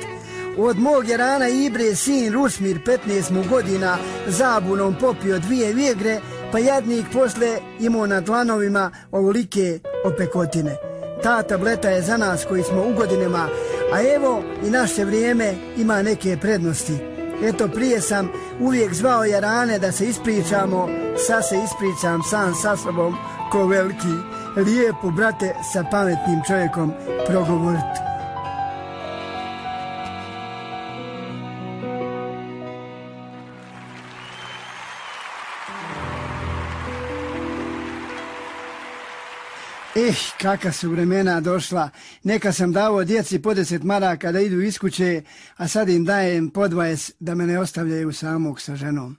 Od mog jarana Ibre sin Rusmir, 15 mu godina, zabunom popio 2 Viagre, pa jadnik posle imao na dlanovima ovolike opekotine. Ta tableta je za nas koji smo u godinama, a evo i naše vrijeme ima neke prednosti. Eto, prije sam uvijek zvao jarane da se ispričamo, sad se ispričam sam sa sobom ko veliki. Lijepo, brate, sa pametnim čovjekom progovoriti. Kakva su vremena došla. Neka sam davao djeci po 10 maraka da idu iz kuće, a sad im dajem po 20 da me ne ostavljaju samog sa ženom.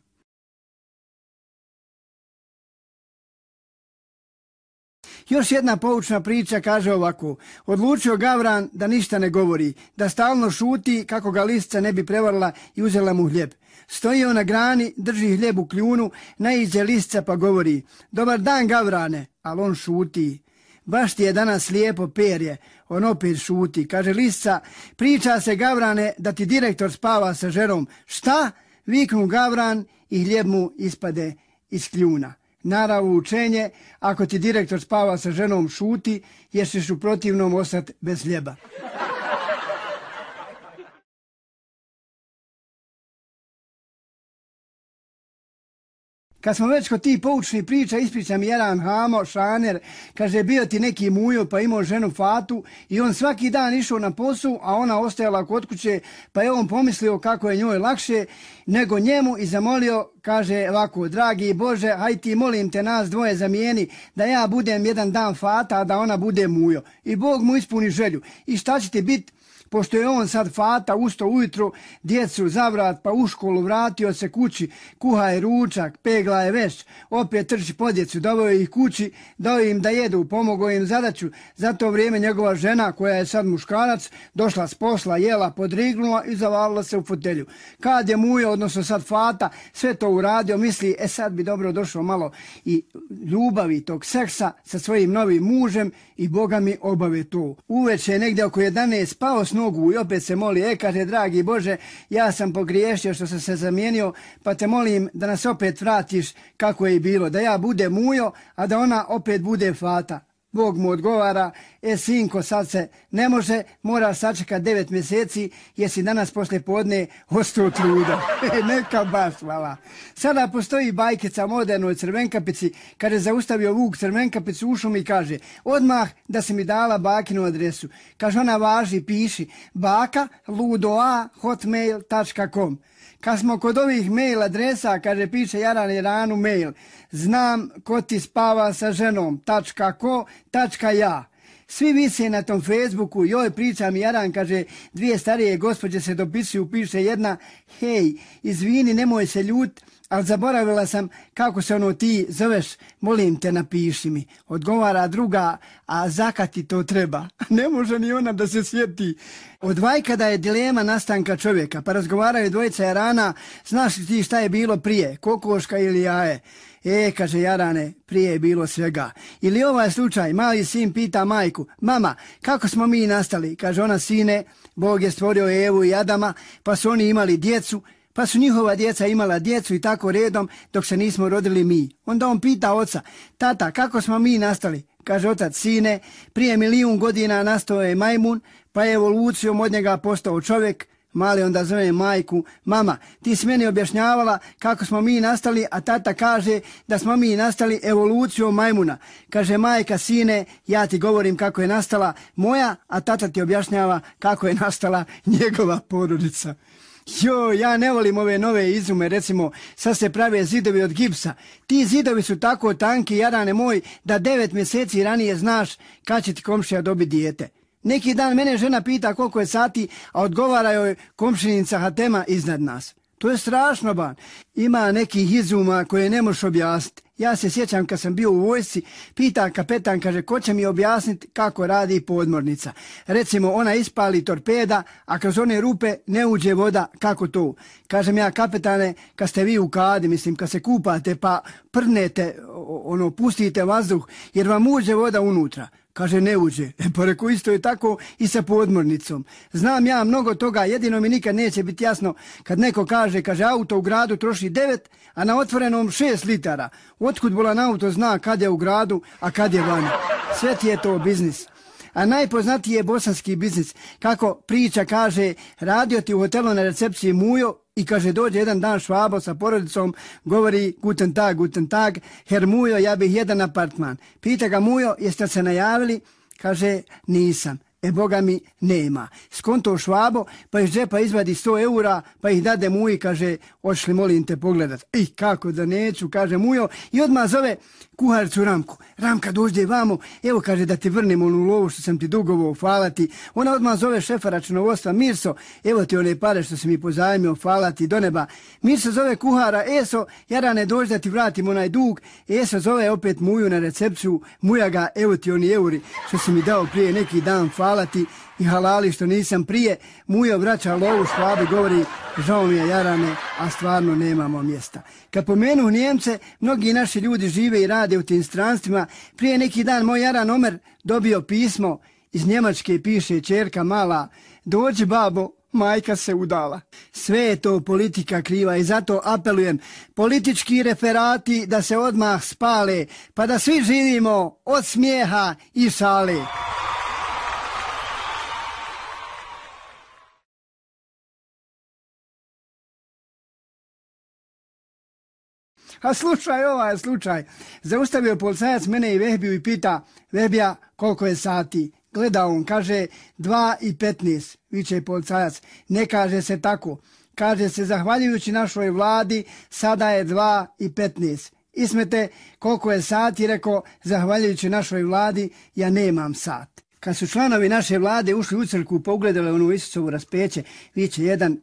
Još jedna poučna priča kaže ovako. Odlučio Gavran da ništa ne govori, da stalno šuti kako ga lisca ne bi prevarila i uzela mu hljeb. Stoji on na grani, drži hljeb u kljunu, naiđe lisca pa govori: dobar dan, Gavrane, ali on šuti. Baš ti je danas lijepo perje, on opet šuti. Kaže lisca: priča se, Gavrane, da ti direktor spava sa ženom. Šta? Viknu Gavran i hljeb mu ispade iz kljuna. Naravno učenje, ako ti direktor spava sa ženom, šuti, jer ćeš u protivnom ostati bez hljeba. Kad smo već kod tih poučnih priča, ispričam jedan Hamo, šaner, kaže bio ti neki mujo pa imao ženu Fatu i on svaki dan išao na posao, a ona ostajala kod kuće, pa je on pomislio kako je njoj lakše nego njemu i zamolio, kaže ovako, dragi Bože, haj ti molim te nas dvoje zamijeni da ja budem jedan dan Fata, a da ona bude mujo. I Bog mu ispuni želju. I šta će ti biti? Pošto je on sad Fata, usto ujutro, djecu zavrat, pa u školu vratio se kući, kuha je ručak, pegla je već, opet trči po djecu, doveo ih kući, dao im da jedu, pomogao im zadaću. Za to vrijeme njegova žena, koja je sad muškarac, došla s posla, jela, podrignula i zavalila se u fotelju. Kad je mujo, odnosno sad Fata, sve to uradio, misli, sad bi dobro došlo malo i ljubavi tog seksa sa svojim novim mužem i Boga mi obave to. Uveče negdje oko 11 spao s nogu i opet se moli, kaže, dragi Bože, ja sam pogriješio što sam se zamijenio, pa te molim da nas opet vratiš kako je i bilo, da ja budem mujo, a da ona opet bude Fata. Bog mu odgovara, sinko, sad se ne može, moraš sačekati 9 mjeseci, jer si danas poslije podne ostao truda. Neka baš, hvala. Sada postoji bajkica modernoj Crvenkapici, kada je zaustavio Vuk Crvenkapicu u šumi i kaže, odmah da si mi dala bakinu adresu. Kaže, ona važi, piši, baka ludoa@hotmail.com. Kad smo kod ovih mail adresa, kaže, piše Jaran Jeranu mail, znam ko ti spava sa ženom, .ko.ja. Svi vise na tom Facebooku, joj pričam Jaran, kaže, dvije starije gospođe se dopisuju, piše jedna, hej, izvini, nemoj se ljut, ali zaboravila sam kako se ono ti zoveš, molim te napiši mi. Odgovara druga, a zakati to treba. Ne može ni ona da se sjeti. Od vajkada je dilema nastanka čovjeka, pa razgovaraju dvojica Jarana, znaš li ti šta je bilo prije, kokoška ili jaje? Kaže Jarane, prije je bilo svega. Ili ovaj slučaj, mali sin pita majku, mama, kako smo mi nastali? Kaže ona, sine, Bog je stvorio Evu i Adama, pa su oni imali djecu, pa su njihova djeca imala djecu i tako redom dok se nismo rodili mi. Onda on pita oca, tata, kako smo mi nastali? Kaže otac, sine, prije 1.000.000 godina nastao je majmun, pa je evolucijom od njega postao čovjek. Mali onda zove majku, mama, ti si meni objašnjavala kako smo mi nastali, a tata kaže da smo mi nastali evolucijom majmuna. Kaže majka, sine, ja ti govorim kako je nastala moja, a tata ti objašnjava kako je nastala njegova porodica. Ja ne volim ove nove izume, recimo, sad se prave zidovi od gipsa. Ti zidovi su tako tanki, Jarane moj, da 9 mjeseci ranije znaš kad će ti komšija dobiti dijete. Neki dan mene žena pita koliko je sati, a odgovara joj komšinica Hatema iznad nas. To je strašno, ban. Ima nekih izuma koje ne možeš objasniti. Ja se sjećam kad sam bio u vojsci, pita kapetan, kaže, ko će mi objasniti kako radi podmornica. Recimo, ona ispali torpeda, a kroz one rupe ne uđe voda, kako to? Kažem ja, kapetane, kad ste vi u kadi, mislim, kad se kupate pa prnete, pustite vazduh, jer vam uđe voda unutra. Kaže, ne uđe. Pa reko, isto je tako i sa podmornicom. Znam ja mnogo toga, jedino mi nikad neće biti jasno kad neko kaže, auto u gradu troši 9, a na otvorenom 6 litara. Otkud bolan auto zna kad je u gradu, a kad je vani? Sve ti je to biznis. A najpoznatiji je bosanski biznis. Kako priča kaže, radio ti u hotelu na recepciji mujo i kaže, dođe jedan dan Švabo sa porodicom, govori, guten tag, her mujo, ja bih jedan apartman. Pita ga mujo, jeste se najavili? Kaže, nisam. Boga mi nema. Skonto Švabo, pa iz džepa izvadi 100 eura, pa ih dade muji, kaže, hoćeš molim te pogledat? Kako da neću, kaže mujo, i odmah zove kuharicu Ramku. Ramka, dođe vamo, evo, kaže, da ti vrnem onu lovu što sam ti dugovao, hvala ti. Ona odmah zove šefa računovodstva, Mirso, evo ti one pare što si mi pozajmio, hvala ti do neba. Mirso zove kuhara, Eso, Jarane, dođe da ti vratim onaj dug. Eso zove opet muju na recepciju, muja ga, evo ti oni euri što si mi dao prije neki dan, hvala ti i halali što nisam prije. Mujo vraća lovu, Švabi govori, žao mi je Jarane, a stvarno nemamo mjesta. Kad pomenu Njemce, mnogi naši ljudi žive i rade u tim stranstvima. Prije neki dan moj Jaran Omer dobio pismo iz Njemačke, piše ćerka mala, dođi babo, majka se udala. Sve je to politika kriva i zato apelujem, politički referati da se odmah spale, pa da svi živimo od smijeha i šale. A slušaj ovaj slučaj. Zaustavio policajac mene i Vehbiju i pita, Vehbija, koliko je sati? Gleda on, kaže 2:15, viče policajac. Ne kaže se tako. Kaže se, zahvaljujući našoj vladi, sada je 2:15. Ismete, koliko je sati, rekao, zahvaljujući našoj vladi, ja nemam sat. Kad su članovi naše vlade ušli u crkvu, pogledali onu Isusovu raspeće, viče jedan,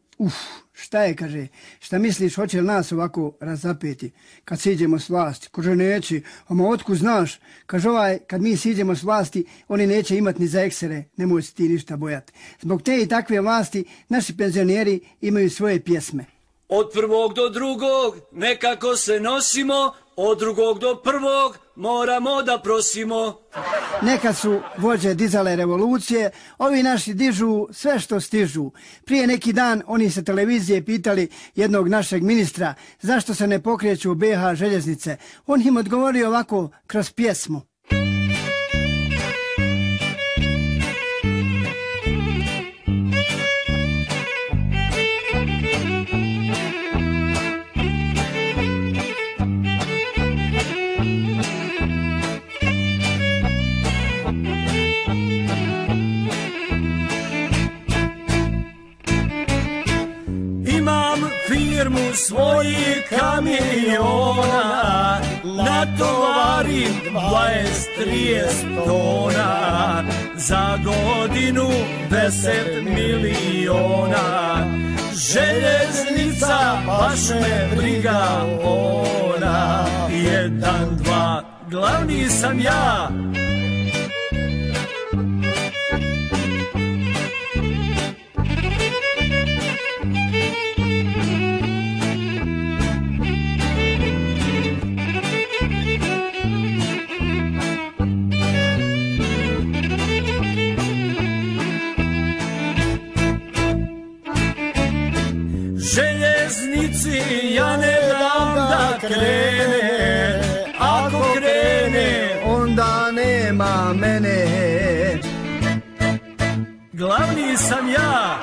šta je, kaže, šta misliš, hoće li nas ovako razapeti kad siđemo s vlasti? Kaže, neće, ama otkud znaš? Kaže, kad mi siđemo s vlasti, oni neće imati ni za eksere, nemoj se ti ništa bojati. Zbog te i takve vlasti, naši penzioneri imaju svoje pjesme. Od prvog do drugog nekako se nosimo, od drugog do prvog moramo da prosimo. Nekad su vođe dizale revolucije, ovi naši dižu sve što stižu. Prije neki dan oni sa televizije pitali jednog našeg ministra zašto se ne pokreću BH željeznice. On im odgovorio ovako kroz pjesmu. Firmu svojih kamiona, natovarim 20-30 tona, za godinu 10 miliona. Željeznica, baš me briga ona, 1, 2, glavni sam ja. Željeznici ja ne dam da krene, ako krene onda nema mene. Glavni sam ja.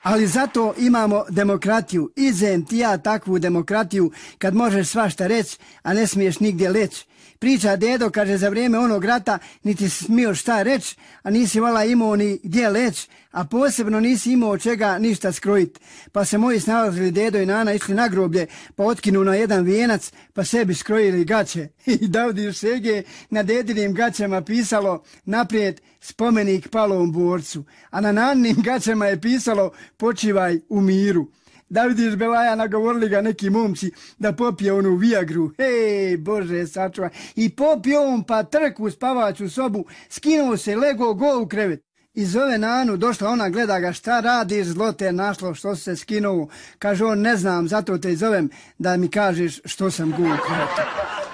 Ali zato imamo demokratiju. Izem ti ja takvu demokratiju kad možeš svašta reći, a ne smiješ nigdje leći. Priča dedo, kaže, za vrijeme onog rata niti si smio šta reći, a nisi vala imao ni gdje leći, a posebno nisi imao čega ništa skrojiti. Pa se moji snalazili dedo i nana, išli na groblje, pa otkinu na jedan vijenac, pa sebi skrojili gaće. I Davdi Šege na dedinim gaćama pisalo naprijed spomenik palom borcu, a na nanim gaćama je pisalo počivaj u miru. Da vidiš Belaja, nagovorili ga neki momci da popije onu Viagru. Hej, Bože, sačuvaj. I popio on pa trk u spavaću sobu, skinuo se, lego go u krevet. I zove Nanu, došla ona, gleda ga, šta radiš, zlo te našlo, što se skinuo. Kaže on, ne znam, zato te zovem da mi kažeš što sam go u krevetu.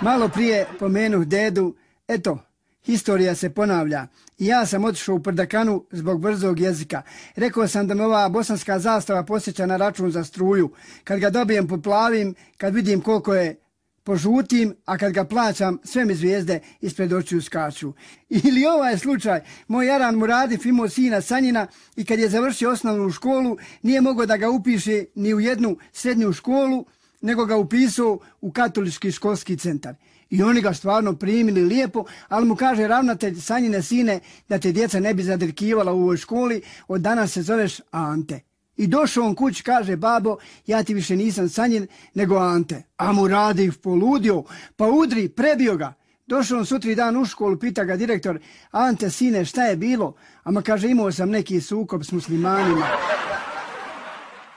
Malo prije pomenuh dedu, eto, historija se ponavlja. I ja sam otišao u Prdakanu zbog brzog jezika. Rekao sam da me ova bosanska zastava posjeća na račun za struju. Kad ga dobijem poplavim, kad vidim koliko je požutim, a kad ga plaćam, sve mi zvijezde ispred očiju skaču. Ili ovaj slučaj, moj Jaran Muradif imao sina Sanjina i kad je završio osnovnu školu, nije mogao da ga upiše ni u jednu srednju školu, nego ga upisao u katolički školski centar. I oni ga stvarno primili lijepo, ali mu kaže ravnatelj, Sanjine sine, da te djeca ne bi zadrkivala u ovoj školi, od danas se zoveš Ante. I došao on kući, kaže, babo, ja ti više nisam Sanjin, nego Ante. A Muradif poludio, pa udri, prebio ga. Došao on sutri dan u školu, pita ga direktor, Ante, sine, šta je bilo? Ama kaže, imao sam neki sukob s muslimanima.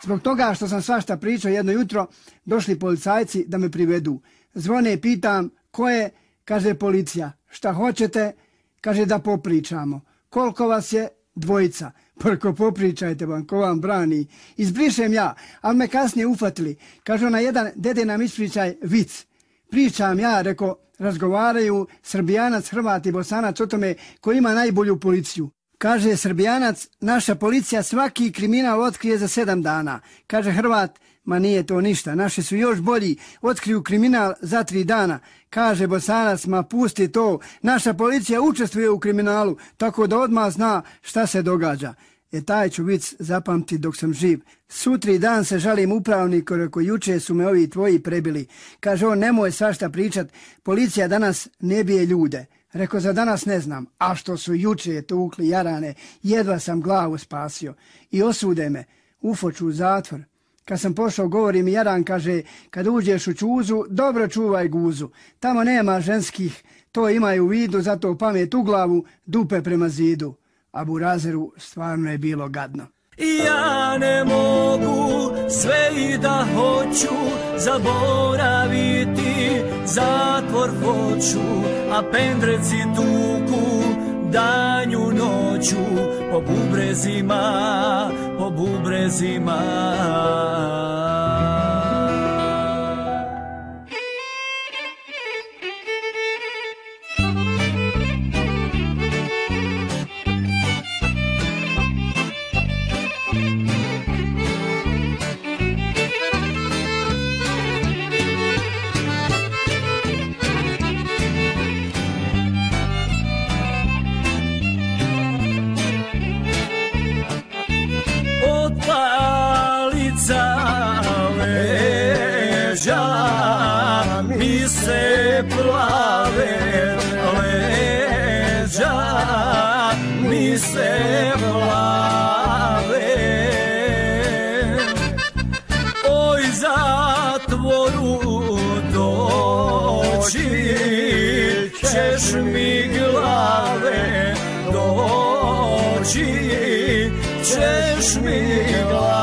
Zbog toga što sam svašta pričao jedno jutro, došli policajci da me privedu. Zvone, pitam, ko je? Kaže, policija. Šta hoćete? Kaže, da popričamo. Koliko vas je? 2. Prko popričajte vam, ko vam brani. Izbrišem ja, ali me kasnije ufatili. Kaže ona, jedan, dede nam ispričaj vic. Pričam ja, reko, razgovaraju Srbijanac, Hrvat i Bosanac o tome ko ima najbolju policiju. Kaže Srbijanac, naša policija svaki kriminal otkrije za 7 dana. Kaže Hrvat, Ma nije to ništa, naši su još bolji, otkriju kriminal za 3 dana. Kaže Bosanac, ma pusti to, naša policija učestvuje u kriminalu, tako da odmah zna šta se događa. Taj ću vic zapamti dok sam živ. Sutri dan se žalim upravniku, reko juče su me ovi tvoji prebili. Kaže on, nemoj svašta pričat, policija danas ne bije ljude. Reko, za danas ne znam, a što su juče tukli jarane, jedva sam glavu spasio. I osude me, ufoču u zatvor. Kad sam pošao, govori mi jaran, kaže, kad uđeš u čuzu, dobro čuvaj guzu. Tamo nema ženskih, to imaju u vidu, zato pamet u glavu, dupe prema zidu. A Burazeru stvarno je bilo gadno. Ja ne mogu sve i da hoću zaboraviti, zatvor hoću, a pendreci tuku danju noću po bubrezima, po bubrezima. Mi se plave leđa, mi se plave. Oj, zatvoru doći ćeš mi glave, doći ćeš mi glave.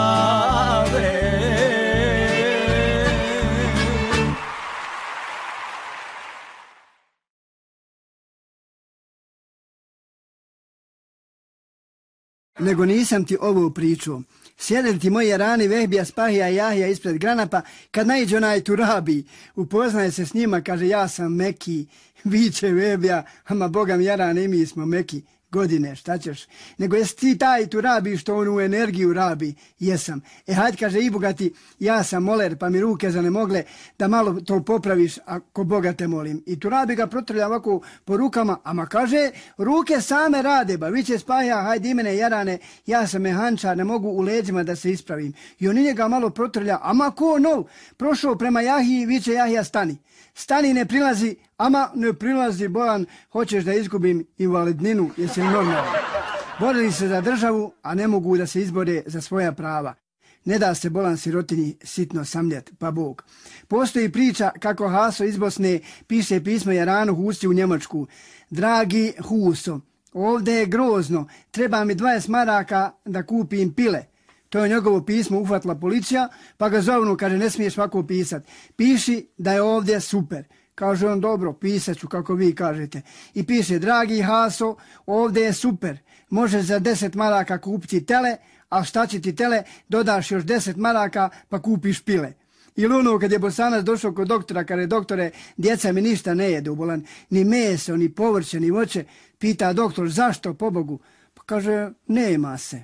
Nego nisam ti ovo pričao. Sjedem ti moji rani Vehbija, Spahija i Jahija ispred Granapa, kad naiđe onaj Turabi, upoznaje se s njima, kaže ja sam Meki, viče Vehbija, ama Boga mi jarane i mi smo Meki. Godine, šta ćeš? Nego jesi ti taj Turabi što on u energiju rabi? Jesam. Hajde, kaže i bogati, ja sam moler, pa mi ruke zanemogle da malo to popraviš, ako Boga te molim. I Turabi ga protrlja ovako po rukama, ama kaže, ruke same rade, ba, viće Spahija, hajde i mene jarane, ja sam mehančar, ne mogu u leđima da se ispravim. I on njega malo protrlja, ama ko nov, prošao prema Jahiji, viće Jahija stani. Stani, ne prilazi, ama ne prilazi, Bojan, hoćeš da izgubim invalidninu, jesi li normalno? Borili se za državu, a ne mogu da se izbore za svoja prava. Ne da se bolan sirotinji sitno samljet, pa Bog. Postoji priča kako Haso iz Bosne piše pismo Jaranu Husi u Njemačku. Dragi Huso, ovdje je grozno, treba mi 20 maraka da kupim pile. To je njegovo pismo uhvatila policija, pa ga zovnu, kaže, ne smiješ ovako pisat. Piši da je ovdje super. Kaže on, dobro, pisat ću kako vi kažete. I piše, dragi Haso, ovdje je super. Možeš za 10 maraka kupiti tele, a šta će ti tele, dodaš još 10 maraka pa kupiš pile. Ili ono kad je Bosanac došao kod doktora, kaže, doktore, djeca mi ništa ne jedu, bolan, ni meso, ni povrće, ni voće. Pita doktor, zašto, pobogu? Pa kaže, nema se.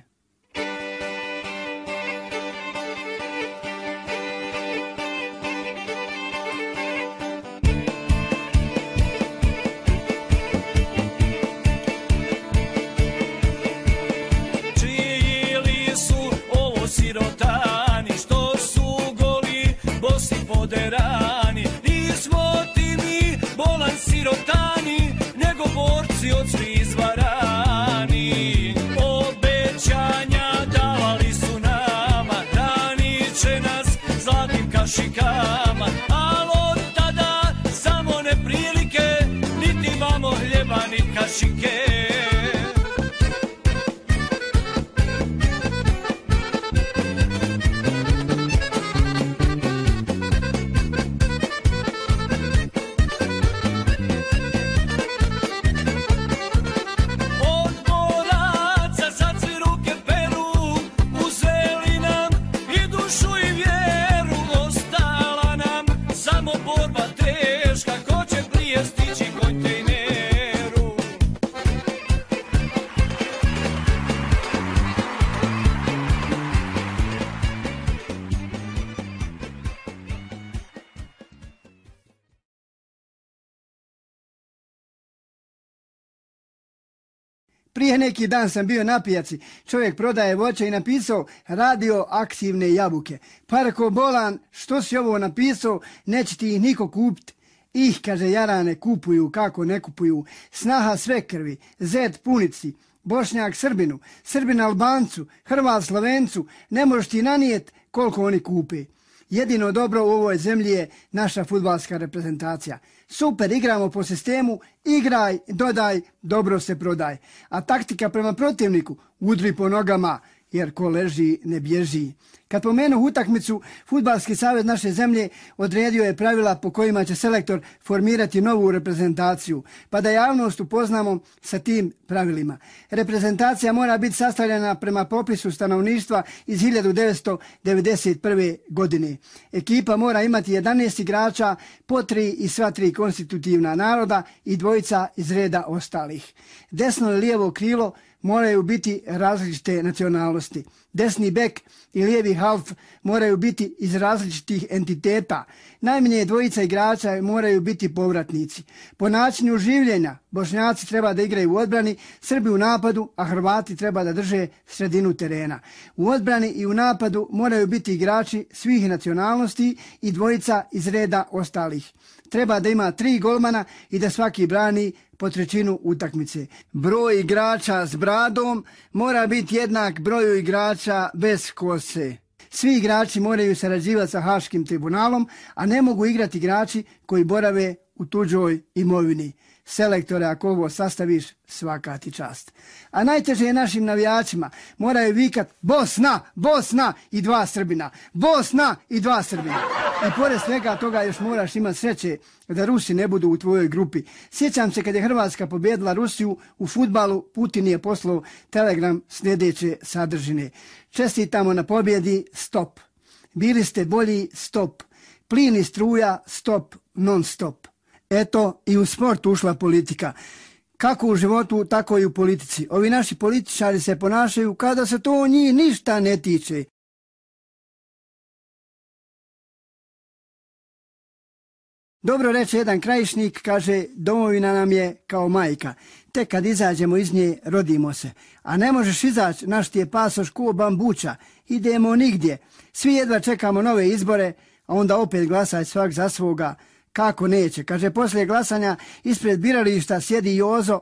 Sirotani što su goli, bosi poderani, nismo ti mi bolan sirotani, nego borci od svih izvarani. Obećanja davali su nama, hranit će nas zlatnim kašikama, ali od tada samo neprilike, niti imamo hljeba ni kašike. Prije neki dan sam bio na pijaci, čovjek prodaje voće i napisao radioaktivne jabuke. Pa reko bolan, što si ovo napisao, neće ti ih niko kupiti. Kaže, jarane kupuju, kako ne kupuju. Snaha sve krvi, zet punici, Bošnjak Srbinu, Srbin Albancu, Hrvat Slovencu, ne možeš ti nanijet koliko oni kupe. Jedino dobro u ovoj zemlji je naša fudbalska reprezentacija. Super, igramo po sistemu, igraj, dodaj, dobro se prodaj. A taktika prema protivniku, udri po nogama, jer ko leži ne bježi. Kad pomenu utakmicu, Fudbalski savez naše zemlje odredio je pravila po kojima će selektor formirati novu reprezentaciju, pa da javnost upoznamo sa tim pravilima. Reprezentacija mora biti sastavljena prema popisu stanovništva iz 1991. godine. Ekipa mora imati 11 igrača, po 3 i sva 3 konstitutivna naroda i 2 iz reda ostalih. Desno i lijevo krilo moraju biti različite nacionalnosti. Desni bek i lijevi half moraju biti iz različitih entiteta. Najmanje 2 igrača moraju biti povratnici. Po načinu življenja Bošnjaci treba da igraju u odbrani, Srbi u napadu, a Hrvati treba da drže sredinu terena. U odbrani i u napadu moraju biti igrači svih nacionalnosti i 2 iz reda ostalih. Treba da ima 3 golmana i da svaki brani po 1/3 utakmice. Broj igrača s bradom mora biti jednak broju igrača bez kose. Svi igrači moraju sarađivati sa Haškim tribunalom, a ne mogu igrati igrači koji borave u tuđoj imovini. Selektore, ako ovo sastaviš, svaka ti čast. A najteže je našim navijačima. Moraju vikat Bosna, Bosna i 2 Srbina. Bosna i 2 Srbina. I pored svega toga još moraš imati sreće da Rusi ne budu u tvojoj grupi. Sjećam se kad je Hrvatska pobjedila Rusiju u fudbalu, Putin je poslao telegram sljedeće sadržine. Čestitamo na pobjedi, stop. Bili ste bolji, stop. Plin i struja, stop, non stop. Eto, i u sport ušla politika. Kako u životu, tako i u politici. Ovi naši političari se ponašaju kada se to njih ništa ne tiče. Dobro reče jedan krajišnik, kaže, domovina nam je kao majka. Tek kad izađemo iz nje, rodimo se. A ne možeš izaći, naš ti je pasoš ko bambuča. Idemo nigdje. Svi jedva čekamo nove izbore, a onda opet glasaj svak za svoga. Kako neće? Kaže, poslije glasanja ispred birališta sjedi Jozo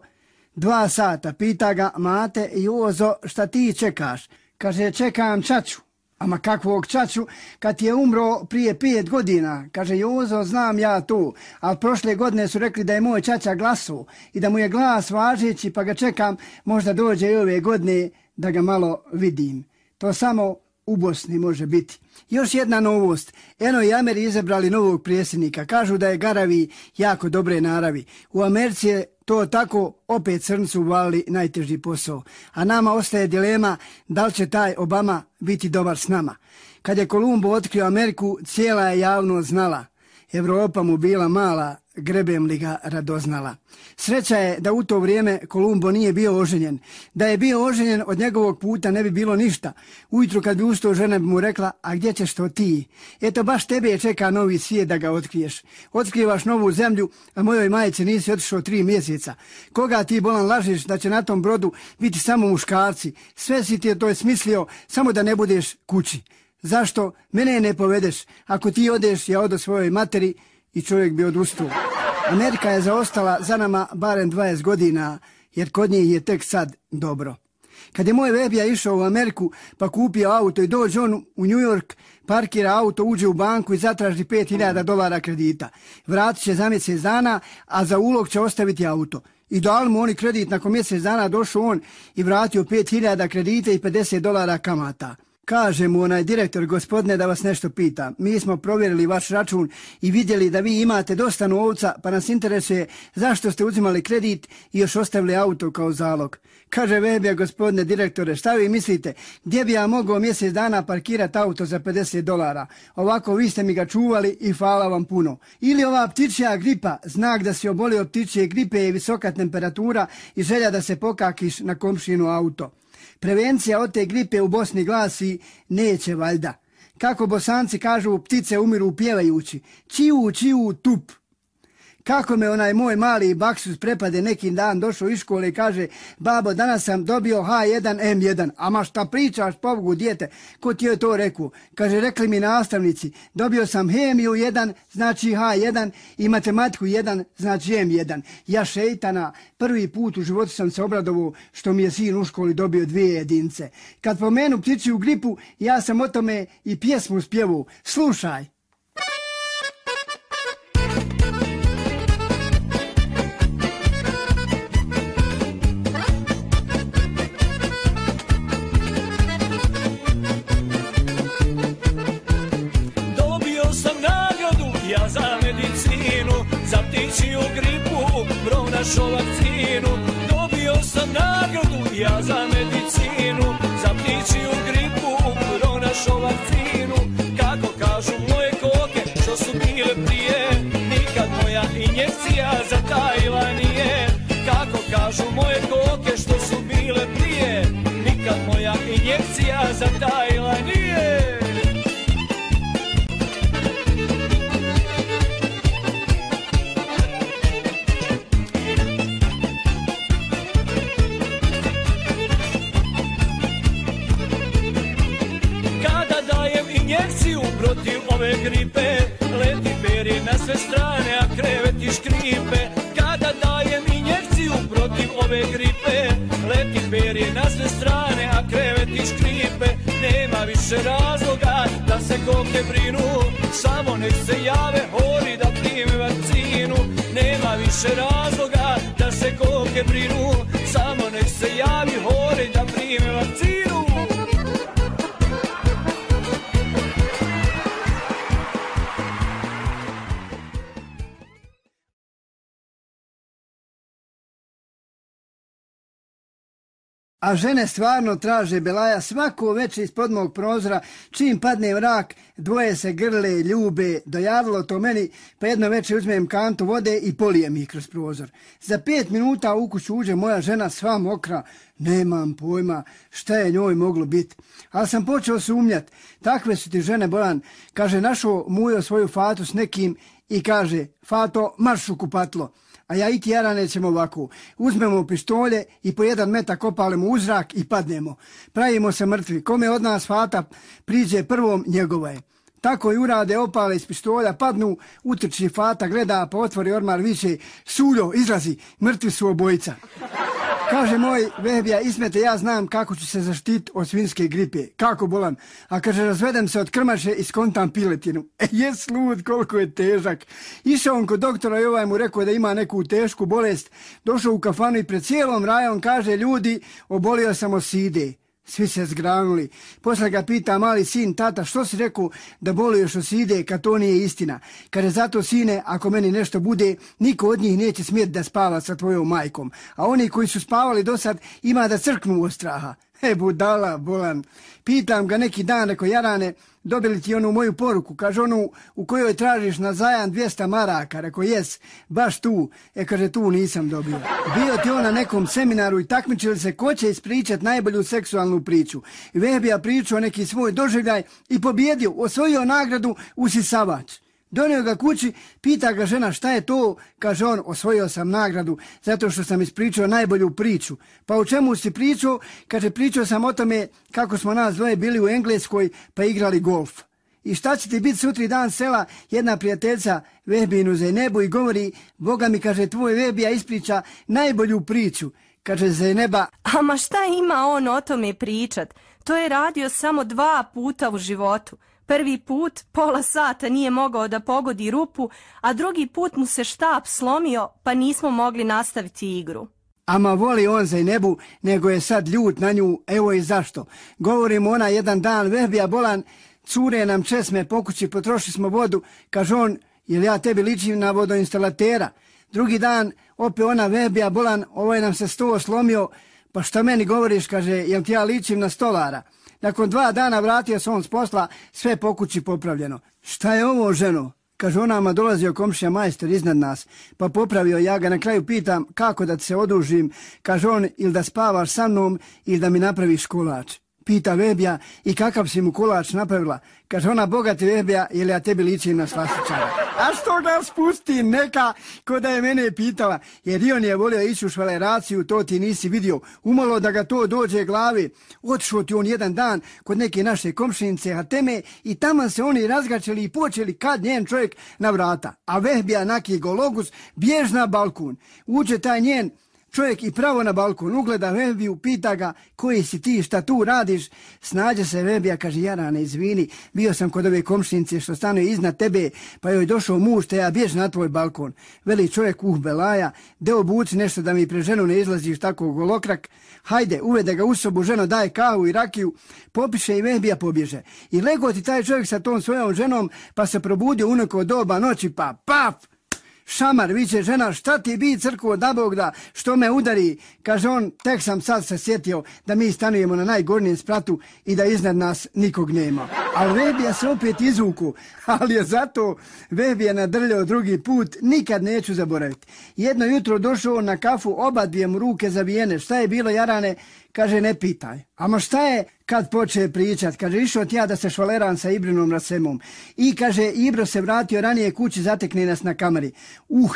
2 sata. Pita ga, mate, Jozo, šta ti čekaš? Kaže, čekam čaču. Ama kakvog čaču, kad ti je umro prije 5 godina? Kaže, Jozo, znam ja to, ali prošle godine su rekli da je moj čača glasao i da mu je glas važeći, pa ga čekam, možda dođe i ove godine da ga malo vidim. To samo u Bosni može biti. Još jedna novost. Eno i Ameri izabrali novog predsjednika. Kažu da je garavi jako dobre naravi. U Americi je to tako, opet crncu uvali najteži posao. A nama ostaje dilema da li će taj Obama biti dobar s nama. Kad je Kolumbo otkrio Ameriku, cijela je javnost znala. Evropa mu bila mala, grebem li ga radoznala. Sreća je da u to vrijeme Kolumbo nije bio oženjen. Da je bio oženjen, od njegovog puta ne bi bilo ništa. Ujutru kad bi ustao, žena bi mu rekla, a gdje ćeš to ti? Eto, baš tebe čeka novi svijet da ga otkriješ. Otkrivaš novu zemlju, a mojoj majici nisi otišao 3 mjeseca. Koga ti bolan lažiš da će na tom brodu biti samo muškarci? Sve si ti je to smislio, samo da ne budeš kući. Zašto mene ne povedeš? Ako ti odeš, ja odo svojoj materi i čovjek bi odustao. Amerika je zaostala za nama barem 20 godina, jer kod njih je tek sad dobro. Kad je moj Vebija išao u Ameriku pa kupio auto i dođe on u New York, parkira auto, uđe u banku i zatraži $5.000 kredita. Vratit će za mjesec dana, a za ulog će ostaviti auto. I dali mu oni kredit, nakon mjesec dana došao on i vratio 5.000 kredita i $50 kamata. Kaže mu onaj direktor, gospodine, da vas nešto pita. Mi smo provjerili vaš račun i vidjeli da vi imate dosta novca, pa nas interesuje zašto ste uzimali kredit i još ostavili auto kao zalog. Kaže Vebija, gospodine direktore, šta vi mislite, gdje bi ja mogao mjesec dana parkirati auto za $50? Ovako vi ste mi ga čuvali i hvala vam puno. Ili ova ptičja gripa, znak da si obolio od ptičje gripe je visoka temperatura i želja da se pokakiš na komšinu auto. Prevencija od te gripe u Bosni glasi neće valjda. Kako Bosanci kažu, ptice umiru pjevajući. Čiu, čiu, tup. Kako me onaj moj mali baksuz prepade neki dan, došao iz škole i kaže, babo, danas sam dobio H1N1. Ama šta pričaš, pobogu, dijete, ko ti je to rekao? Kaže, rekli mi nastavnici, dobio sam hemiju 1, znači H1 i matematiku 1, znači M1. Ja šeitana, prvi put u životu sam se obradovao što mi je sin u školi dobio 2 jedince. Kad pomenu ptičju gripu, ja sam o tome i pjesmu spjevao. Slušaj. Za medicinu, za ptičju gripu, pronašao vakcinu. Dobio sam nagradu ja za medicinu, za ptičju gripu, pronašao vakcinu. Kako kažu moje koke što su bile prije, nikad moja injekcija zatajila nije. Kako kažu moje koke što su bile prije, nikad moja injekcija zatajila nije. Injekciju protiv ove gripe, leti peri na sve strane, a kreveti škripe. Kada dajem injekciju protiv ove gripe, leti peri na sve strane, a kreveti škripe. Nema više razloga da se koke brinu, samo nek se jave hori da prime vakcinu. Nema više razloga da se koke brinu, samo nek se javi hori da prime vakcinu. A žene stvarno traže Belaja svako večer ispod mog prozora, čim padne mrak, dvoje se grle, ljube, dojavilo to meni, pa jedno večer uzmem kantu vode i polijem ih kroz prozor. Za 5 minuta u kuću uđe moja žena sva mokra, nemam pojma šta je njoj moglo biti. Ali sam počeo sumnjati, takve su ti žene, Bojan, kaže, našao mujo svoju Fatu s nekim i kaže, Fato, marš u kupatlo. A ja i ti Jarane ćemo ovako, uzmemo pištolje i po 1 metak opalimo u zrak i padnemo. Pravimo se mrtvi, kome od nas Fata priđe prvom, njegova je. Tako i urade, opale iz pištolja, padnu, utrči Fata, gleda, pa otvori ormar, viče, Suljo, izlazi, mrtvi su obojica. Kaže moj Vehbija, Ismete, ja znam kako ću se zaštiti od svinjske gripe. Kako, Bolan? A kaže, razvedem se od krmaše i skontam piletinu. Jes lud, koliko je težak. Išao on kod doktora i ovaj mu rekao da ima neku tešku bolest. Došao u kafanu i pred cijelom rajom kaže, ljudi, obolio sam od side. Svi se zgranuli. Posle ga pita mali sin, tata, što si rekao da boluješ od side kad to nije istina? Kaže, zato sine, ako meni nešto bude, niko od njih neće smjeti da spava sa tvojom majkom. A oni koji su spavali do sad ima da crknu od straha. Budala, Bolan. Pitam ga neki dan, rekao, Jarane, dobili ti onu moju poruku, kaže, onu u kojoj tražiš na zajam 200 maraka, rekao, jes, baš tu, kaže, tu nisam dobio. Bio ti on na nekom seminaru i takmičili se ko će ispričati najbolju seksualnu priču. I Vehbija pričao neki svoj doživljaj i pobjedio, osvojio nagradu usisavač. Donio ga kući, pita ga žena šta je to, kaže on, osvojio sam nagradu zato što sam ispričao najbolju priču. Pa o čemu si pričao? Kaže, pričao sam o tome kako smo nas dvoje bili u Engleskoj pa igrali golf. I šta će ti biti sutri dan sela, jedna prijateljica Vehbinu Zejnebu i govori, Boga mi, kaže, tvoj Vehbija ispriča najbolju priču. Kaže Zejneba, ama šta ima on o tome pričat? To je radio samo 2 puta u životu. Prvi put pola sata nije mogao da pogodi rupu, a drugi put mu se štap slomio pa nismo mogli nastaviti igru. Ama voli on Zejnebu, nego je sad ljut na nju, evo i zašto. Govorimo ona jedan dan, Vehbija Bolan, cure nam česme po kući, potrošili smo vodu, kaže on, jel ja tebi ličim na vodoinstalatera? Drugi dan, opet ona Vehbija Bolan, ovaj nam se sto slomio, pa šta meni govoriš, kaže, jel ti ja ličim na stolara? Nakon 2 dana vratio se on s posla, sve po kući popravljeno. Šta je ovo, ženo? Kaže, onama dolazio komšija majstor iznad nas, pa popravio, ja ga na kraju pitam kako da ti se odužim. Kaže on, ili da spavaš sa mnom ili da mi napraviš kolač. pita Vebija, i kakav si mu kolač napravila? Kaže ona, bogati Vebija, jel ja tebi ličim na slastičara? A što ga spusti neka, ko da je mene pitala, jer i on je volio ići u švaleraciju, to ti nisi vidio. Umalo da ga to dođe glavi. Otišao ti on jedan dan kod neke naše komšinice Hateme i tamo se oni razgačili i počeli kad njen čovjek na vrata. A Vehbija naki gologus bjež na balkon. Uđe taj njen čovjek i pravo na balkon, ugleda Vehbiju, pita ga, koji si ti, šta tu radiš? Snađe se Vehbija, kaže, Jarane, izvini, bio sam kod ove komšinice što stanuje iznad tebe, pa joj došao muž, te ja bjež na tvoj balkon. Veli čovjek, belaja, de obuci nešto da mi pre ženu ne izlaziš tako golokrak. Hajde, uvede ga u sobu, ženo daje kavu i rakiju, popiše i Vehbija pobježe. I lego ti taj čovjek sa tom svojom ženom, pa se probudio u neko doba noći, pa paf! Šamar, viče žena, šta ti bi crkvo da Bog da, što me udari? Kaže on, tek sam sad se sjetio da mi stanujemo na najgornjem spratu i da iznad nas nikog nema. Ali Vehbija se opet izvuku, ali je zato Vehbija nadrljao drugi put, nikad neću zaboraviti. Jedno jutro došao na kafu, oba dvije mu ruke zavijene, šta je bilo Jarane? Kaže, ne pitaj. Ama šta je kad poče pričat? Kaže, išao ti ja da se švaleram sa Ibrinom Rasemom. I kaže, Ibro se vratio ranije kući, zatekne nas na kameri.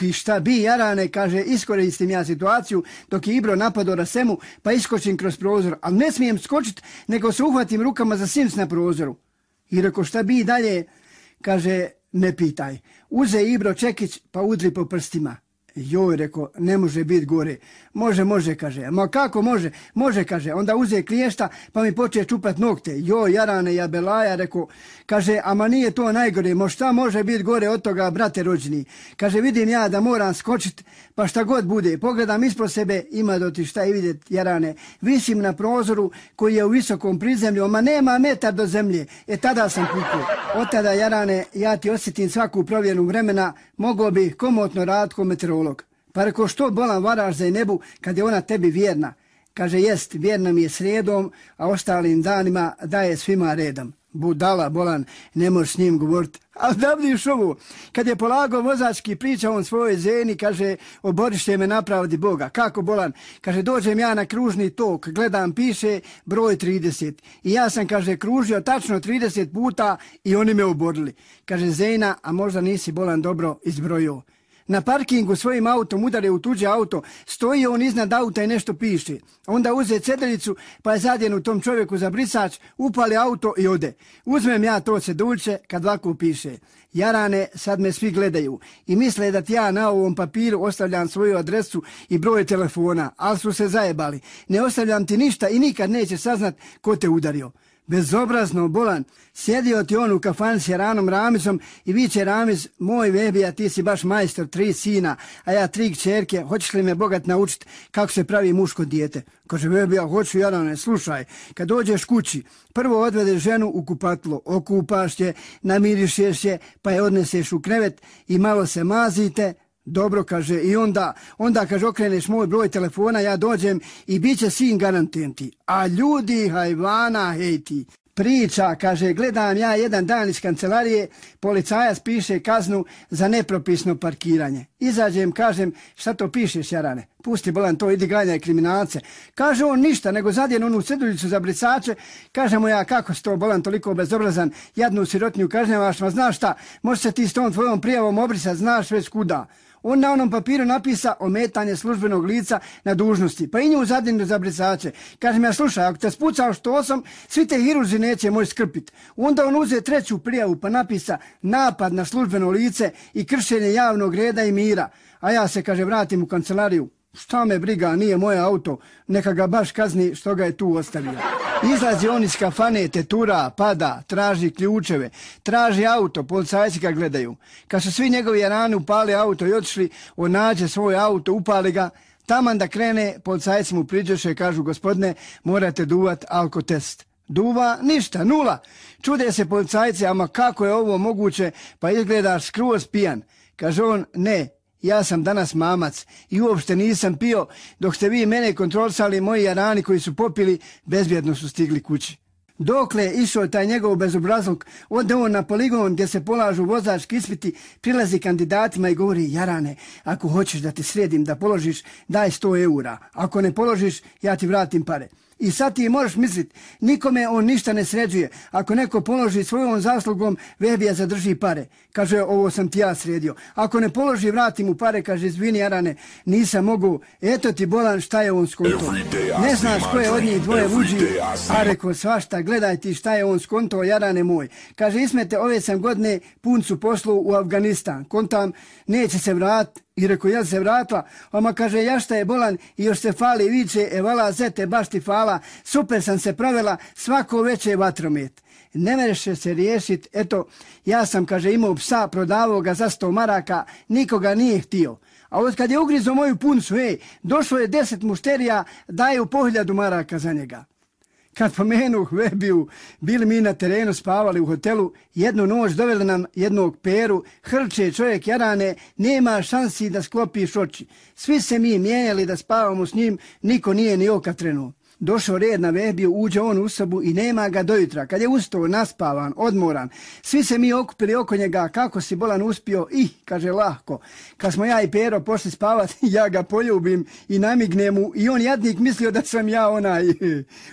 I šta bi, Jarane, kaže, iskoristim ja situaciju dok je Ibro napadao Rasemu, pa iskočim kroz prozor. Ali ne smijem skočit, nego se uhvatim rukama za sims na prozoru. I reko, šta bi dalje? Kaže, ne pitaj. Uze Ibro čekić, pa udri po prstima. Joj, reko, ne može biti gore. Može, kaže. Ma kako može? Može, kaže. Onda uze kliješta, pa mi poče čupat nokte. Joj, Jarane, ja belaja, reko. Kaže, ama nije to najgore. Šta može biti gore od toga, brate rođeni? Kaže, vidim ja da moram skočit, pa šta god bude. Pogledam ispod sebe, ima do ti šta i vidjet, Jarane. Visim na prozoru koji je u visokom prizemlju, ma nema metar do zemlje. Tada sam pukao. Od tada, Jarane, ja ti osjetim svaku provjenu vremena, mogao bi komotno raditi ko meteorolog. Pa reko, što bolan varaš za nebu kad je ona tebi vjerna? Kaže, jest, vjerna mi je srijedom, a ostalim danima daje svima redom. Budala, bolan, ne možeš s njim govoriti. Ali da vidiš ovo, kad je polagao vozački, priča on svojoj ženi, kaže, oborište me napravdi Boga. Kako, bolan? Kaže, dođem ja na kružni tok, gledam, piše broj 30. I ja sam, kaže, kružio tačno 30 puta i oni me oborili. Kaže, Zejna, a možda nisi, bolan, dobro izbrojio. Na parkingu svojim autom udare u tuđe auto, stoji on iznad auta i nešto piše. Onda uze ceduljicu, pa je zadjen u tom čovjeku za brisač, upali auto i ode. Uzmem ja to ceduljče kad ovako piše. Jarane, sad me svi gledaju i misle da ti ja na ovom papiru ostavljam svoju adresu i broj telefona, ali su se zajebali. Ne ostavljam ti ništa i nikad neće saznat ko te udario. Bezobrazno, bolan, sjedio ti on u kafani s Jaranom Ramizom i viče Ramiz, moj Vehbija, ti si baš majstor, 3 sina, a ja 3 kćerke, hoćeš li me bogat naučiti kako se pravi muško dijete? Kaže Vehbija, hoću Jarane, slušaj, kad dođeš kući, prvo odvedeš ženu u kupatlo, okupaš je, namirišeš je, pa je odneseš u krevet i malo se mazite. Dobro, kaže, i onda kaže, okreneš moj broj telefona, ja dođem i bit će sin garantujem ti. A ljudi hajvana, hej ti. Priča, kaže, gledam ja jedan dan iz kancelarije, policajac piše kaznu za nepropisno parkiranje. Izađem, kažem, šta to pišeš, Jarane? Pusti, bolan, to, idi ganjaj kriminalce. Kaže on ništa, nego zadjen onu ceduljicu za brisače. Kaže mu ja, kako si to, bolan, toliko bezobrazan, jadnu sirotnju kažnjavaš, ma znaš šta, može se ti s tom tvojom prijavom obrisat, znaš već kuda. On na onom papiru napisa ometanje službenog lica na dužnosti, pa i nju zadnju za brisače. Kažem ja, slušaj, ako te spucao što sam, svi te hirurzi neće moći skrpiti. Onda on uze 3. prijavu pa napisa napad na službeno lice i kršenje javnog reda i mira. A ja se, kaže, vratim u kancelariju. Šta me briga, nije moje auto, neka ga baš kazni što ga je tu ostavio. Izlazi on iz kafane, tetura, pada, traži ključeve, traži auto, policajci ga gledaju. Kad su svi njegovi Jarani upali auto i otišli, on nađe svoj auto, upali ga, taman da krene, policajci mu priđeše i kažu, gospodine, morate duvat alkotest. Duva, ništa, 0. Čude se policajci, ama kako je ovo moguće, pa izgledaš skroz pijan. Kaže on, ne. Ja sam danas mamac i uopšte nisam pio, dok ste vi mene kontrolisali, moji Jarani koji su popili, bezbjedno su stigli kući. Dokle je išao taj njegov bezobrazluk, ode on na poligon gdje se polažu vozački ispiti, prilazi kandidatima i govori, Jarane, ako hoćeš da te sredim da položiš, daj 100 eura. Ako ne položiš, ja ti vratim pare. I sad ti možeš misliti, nikome on ništa ne sređuje. Ako neko položi svojom zaslugom, vehbija zadrži pare. Kaže, ovo sam ti ja sredio. Ako ne položi, vrati mu pare, kaže, izvini Jarane, nisam mogu. Eto ti bolan, šta je on skonto. Ne znaš ko je od njih dvoje luđi, a reko svašta, gledaj ti šta je on skonto, Jarane moj. Kaže, Ismete, ove sam godine puncu poslao u Afganistan. Kontam, neće se vratiti. I reko, jel se vratila? Oma kaže, ja šta je bolan i još se fali viče, evala zete, baš ti fala, super sam se provela, svako veće vatromet. Ne mereš se riješit, eto, ja sam, kaže, imao psa, prodavao ga za 100 maraka, nikoga nije htio. A od kad je ugrizo moju puncu, došlo je 10 mušterija, daju po 1000 maraka za njega. Kad pomenuh vehbiju, bili mi na terenu, spavali u hotelu, jednu noć doveli nam jednog Peru, hrče čovjek Jarane, nema šansi da sklopiš oči. Svi se mi mijenjali da spavamo s njim, niko nije ni oka trenuo. Došao red na vehbiju, uđe on u sobu i nema ga do jutra. Kad je ustao, naspavan, odmoran, svi se mi okupili oko njega, kako si bolan uspio, kaže, lahko. Kad smo ja i Pero pošli spavati, ja ga poljubim i namignem mu i on jadnik mislio da sam ja onaj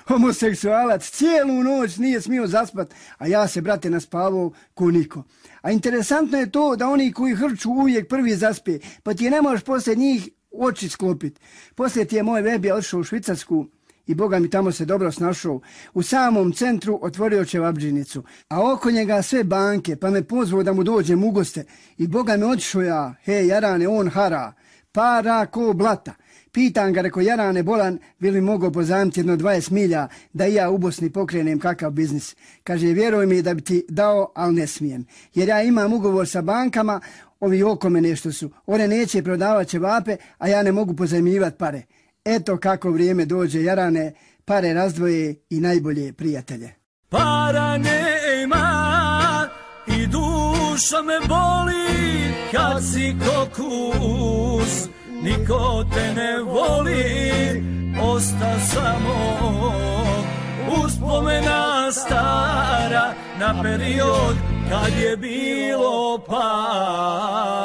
homoseksualac. Cijelu noć nije smio zaspat, a ja se, brate, naspavao ko niko. A interesantno je to da oni koji hrču uvijek prvi zaspe, pa ti ne možeš poslije njih oči sklopiti. Poslije ti je moj vehbija otišao u Švicarsku, i Boga mi tamo se dobro snašao. U samom centru otvorio čevabdžinicu, a oko njega sve banke, pa me pozvao da mu dođem u goste. I Boga mi otišao ja, Jarane, on hara, para ko blata. Pitan ga, reko, Jarane bolan, bi li mogao pozajmiti jedno 20 milja da i ja u Bosni pokrenem kakav biznis. Kaže, vjeruj mi da bi ti dao, ali ne smijem. Jer ja imam ugovor sa bankama, ovi oko me nešto su. One neće prodavati ćevape, a ja ne mogu pozajmljivati pare. Eto kako vrijeme dođe, Jarane, pare razdvoje i najbolje prijatelje. Para nema i duša me boli kad si kokus, niko te ne voli, osta samo uspomena stara na period kad je bilo para.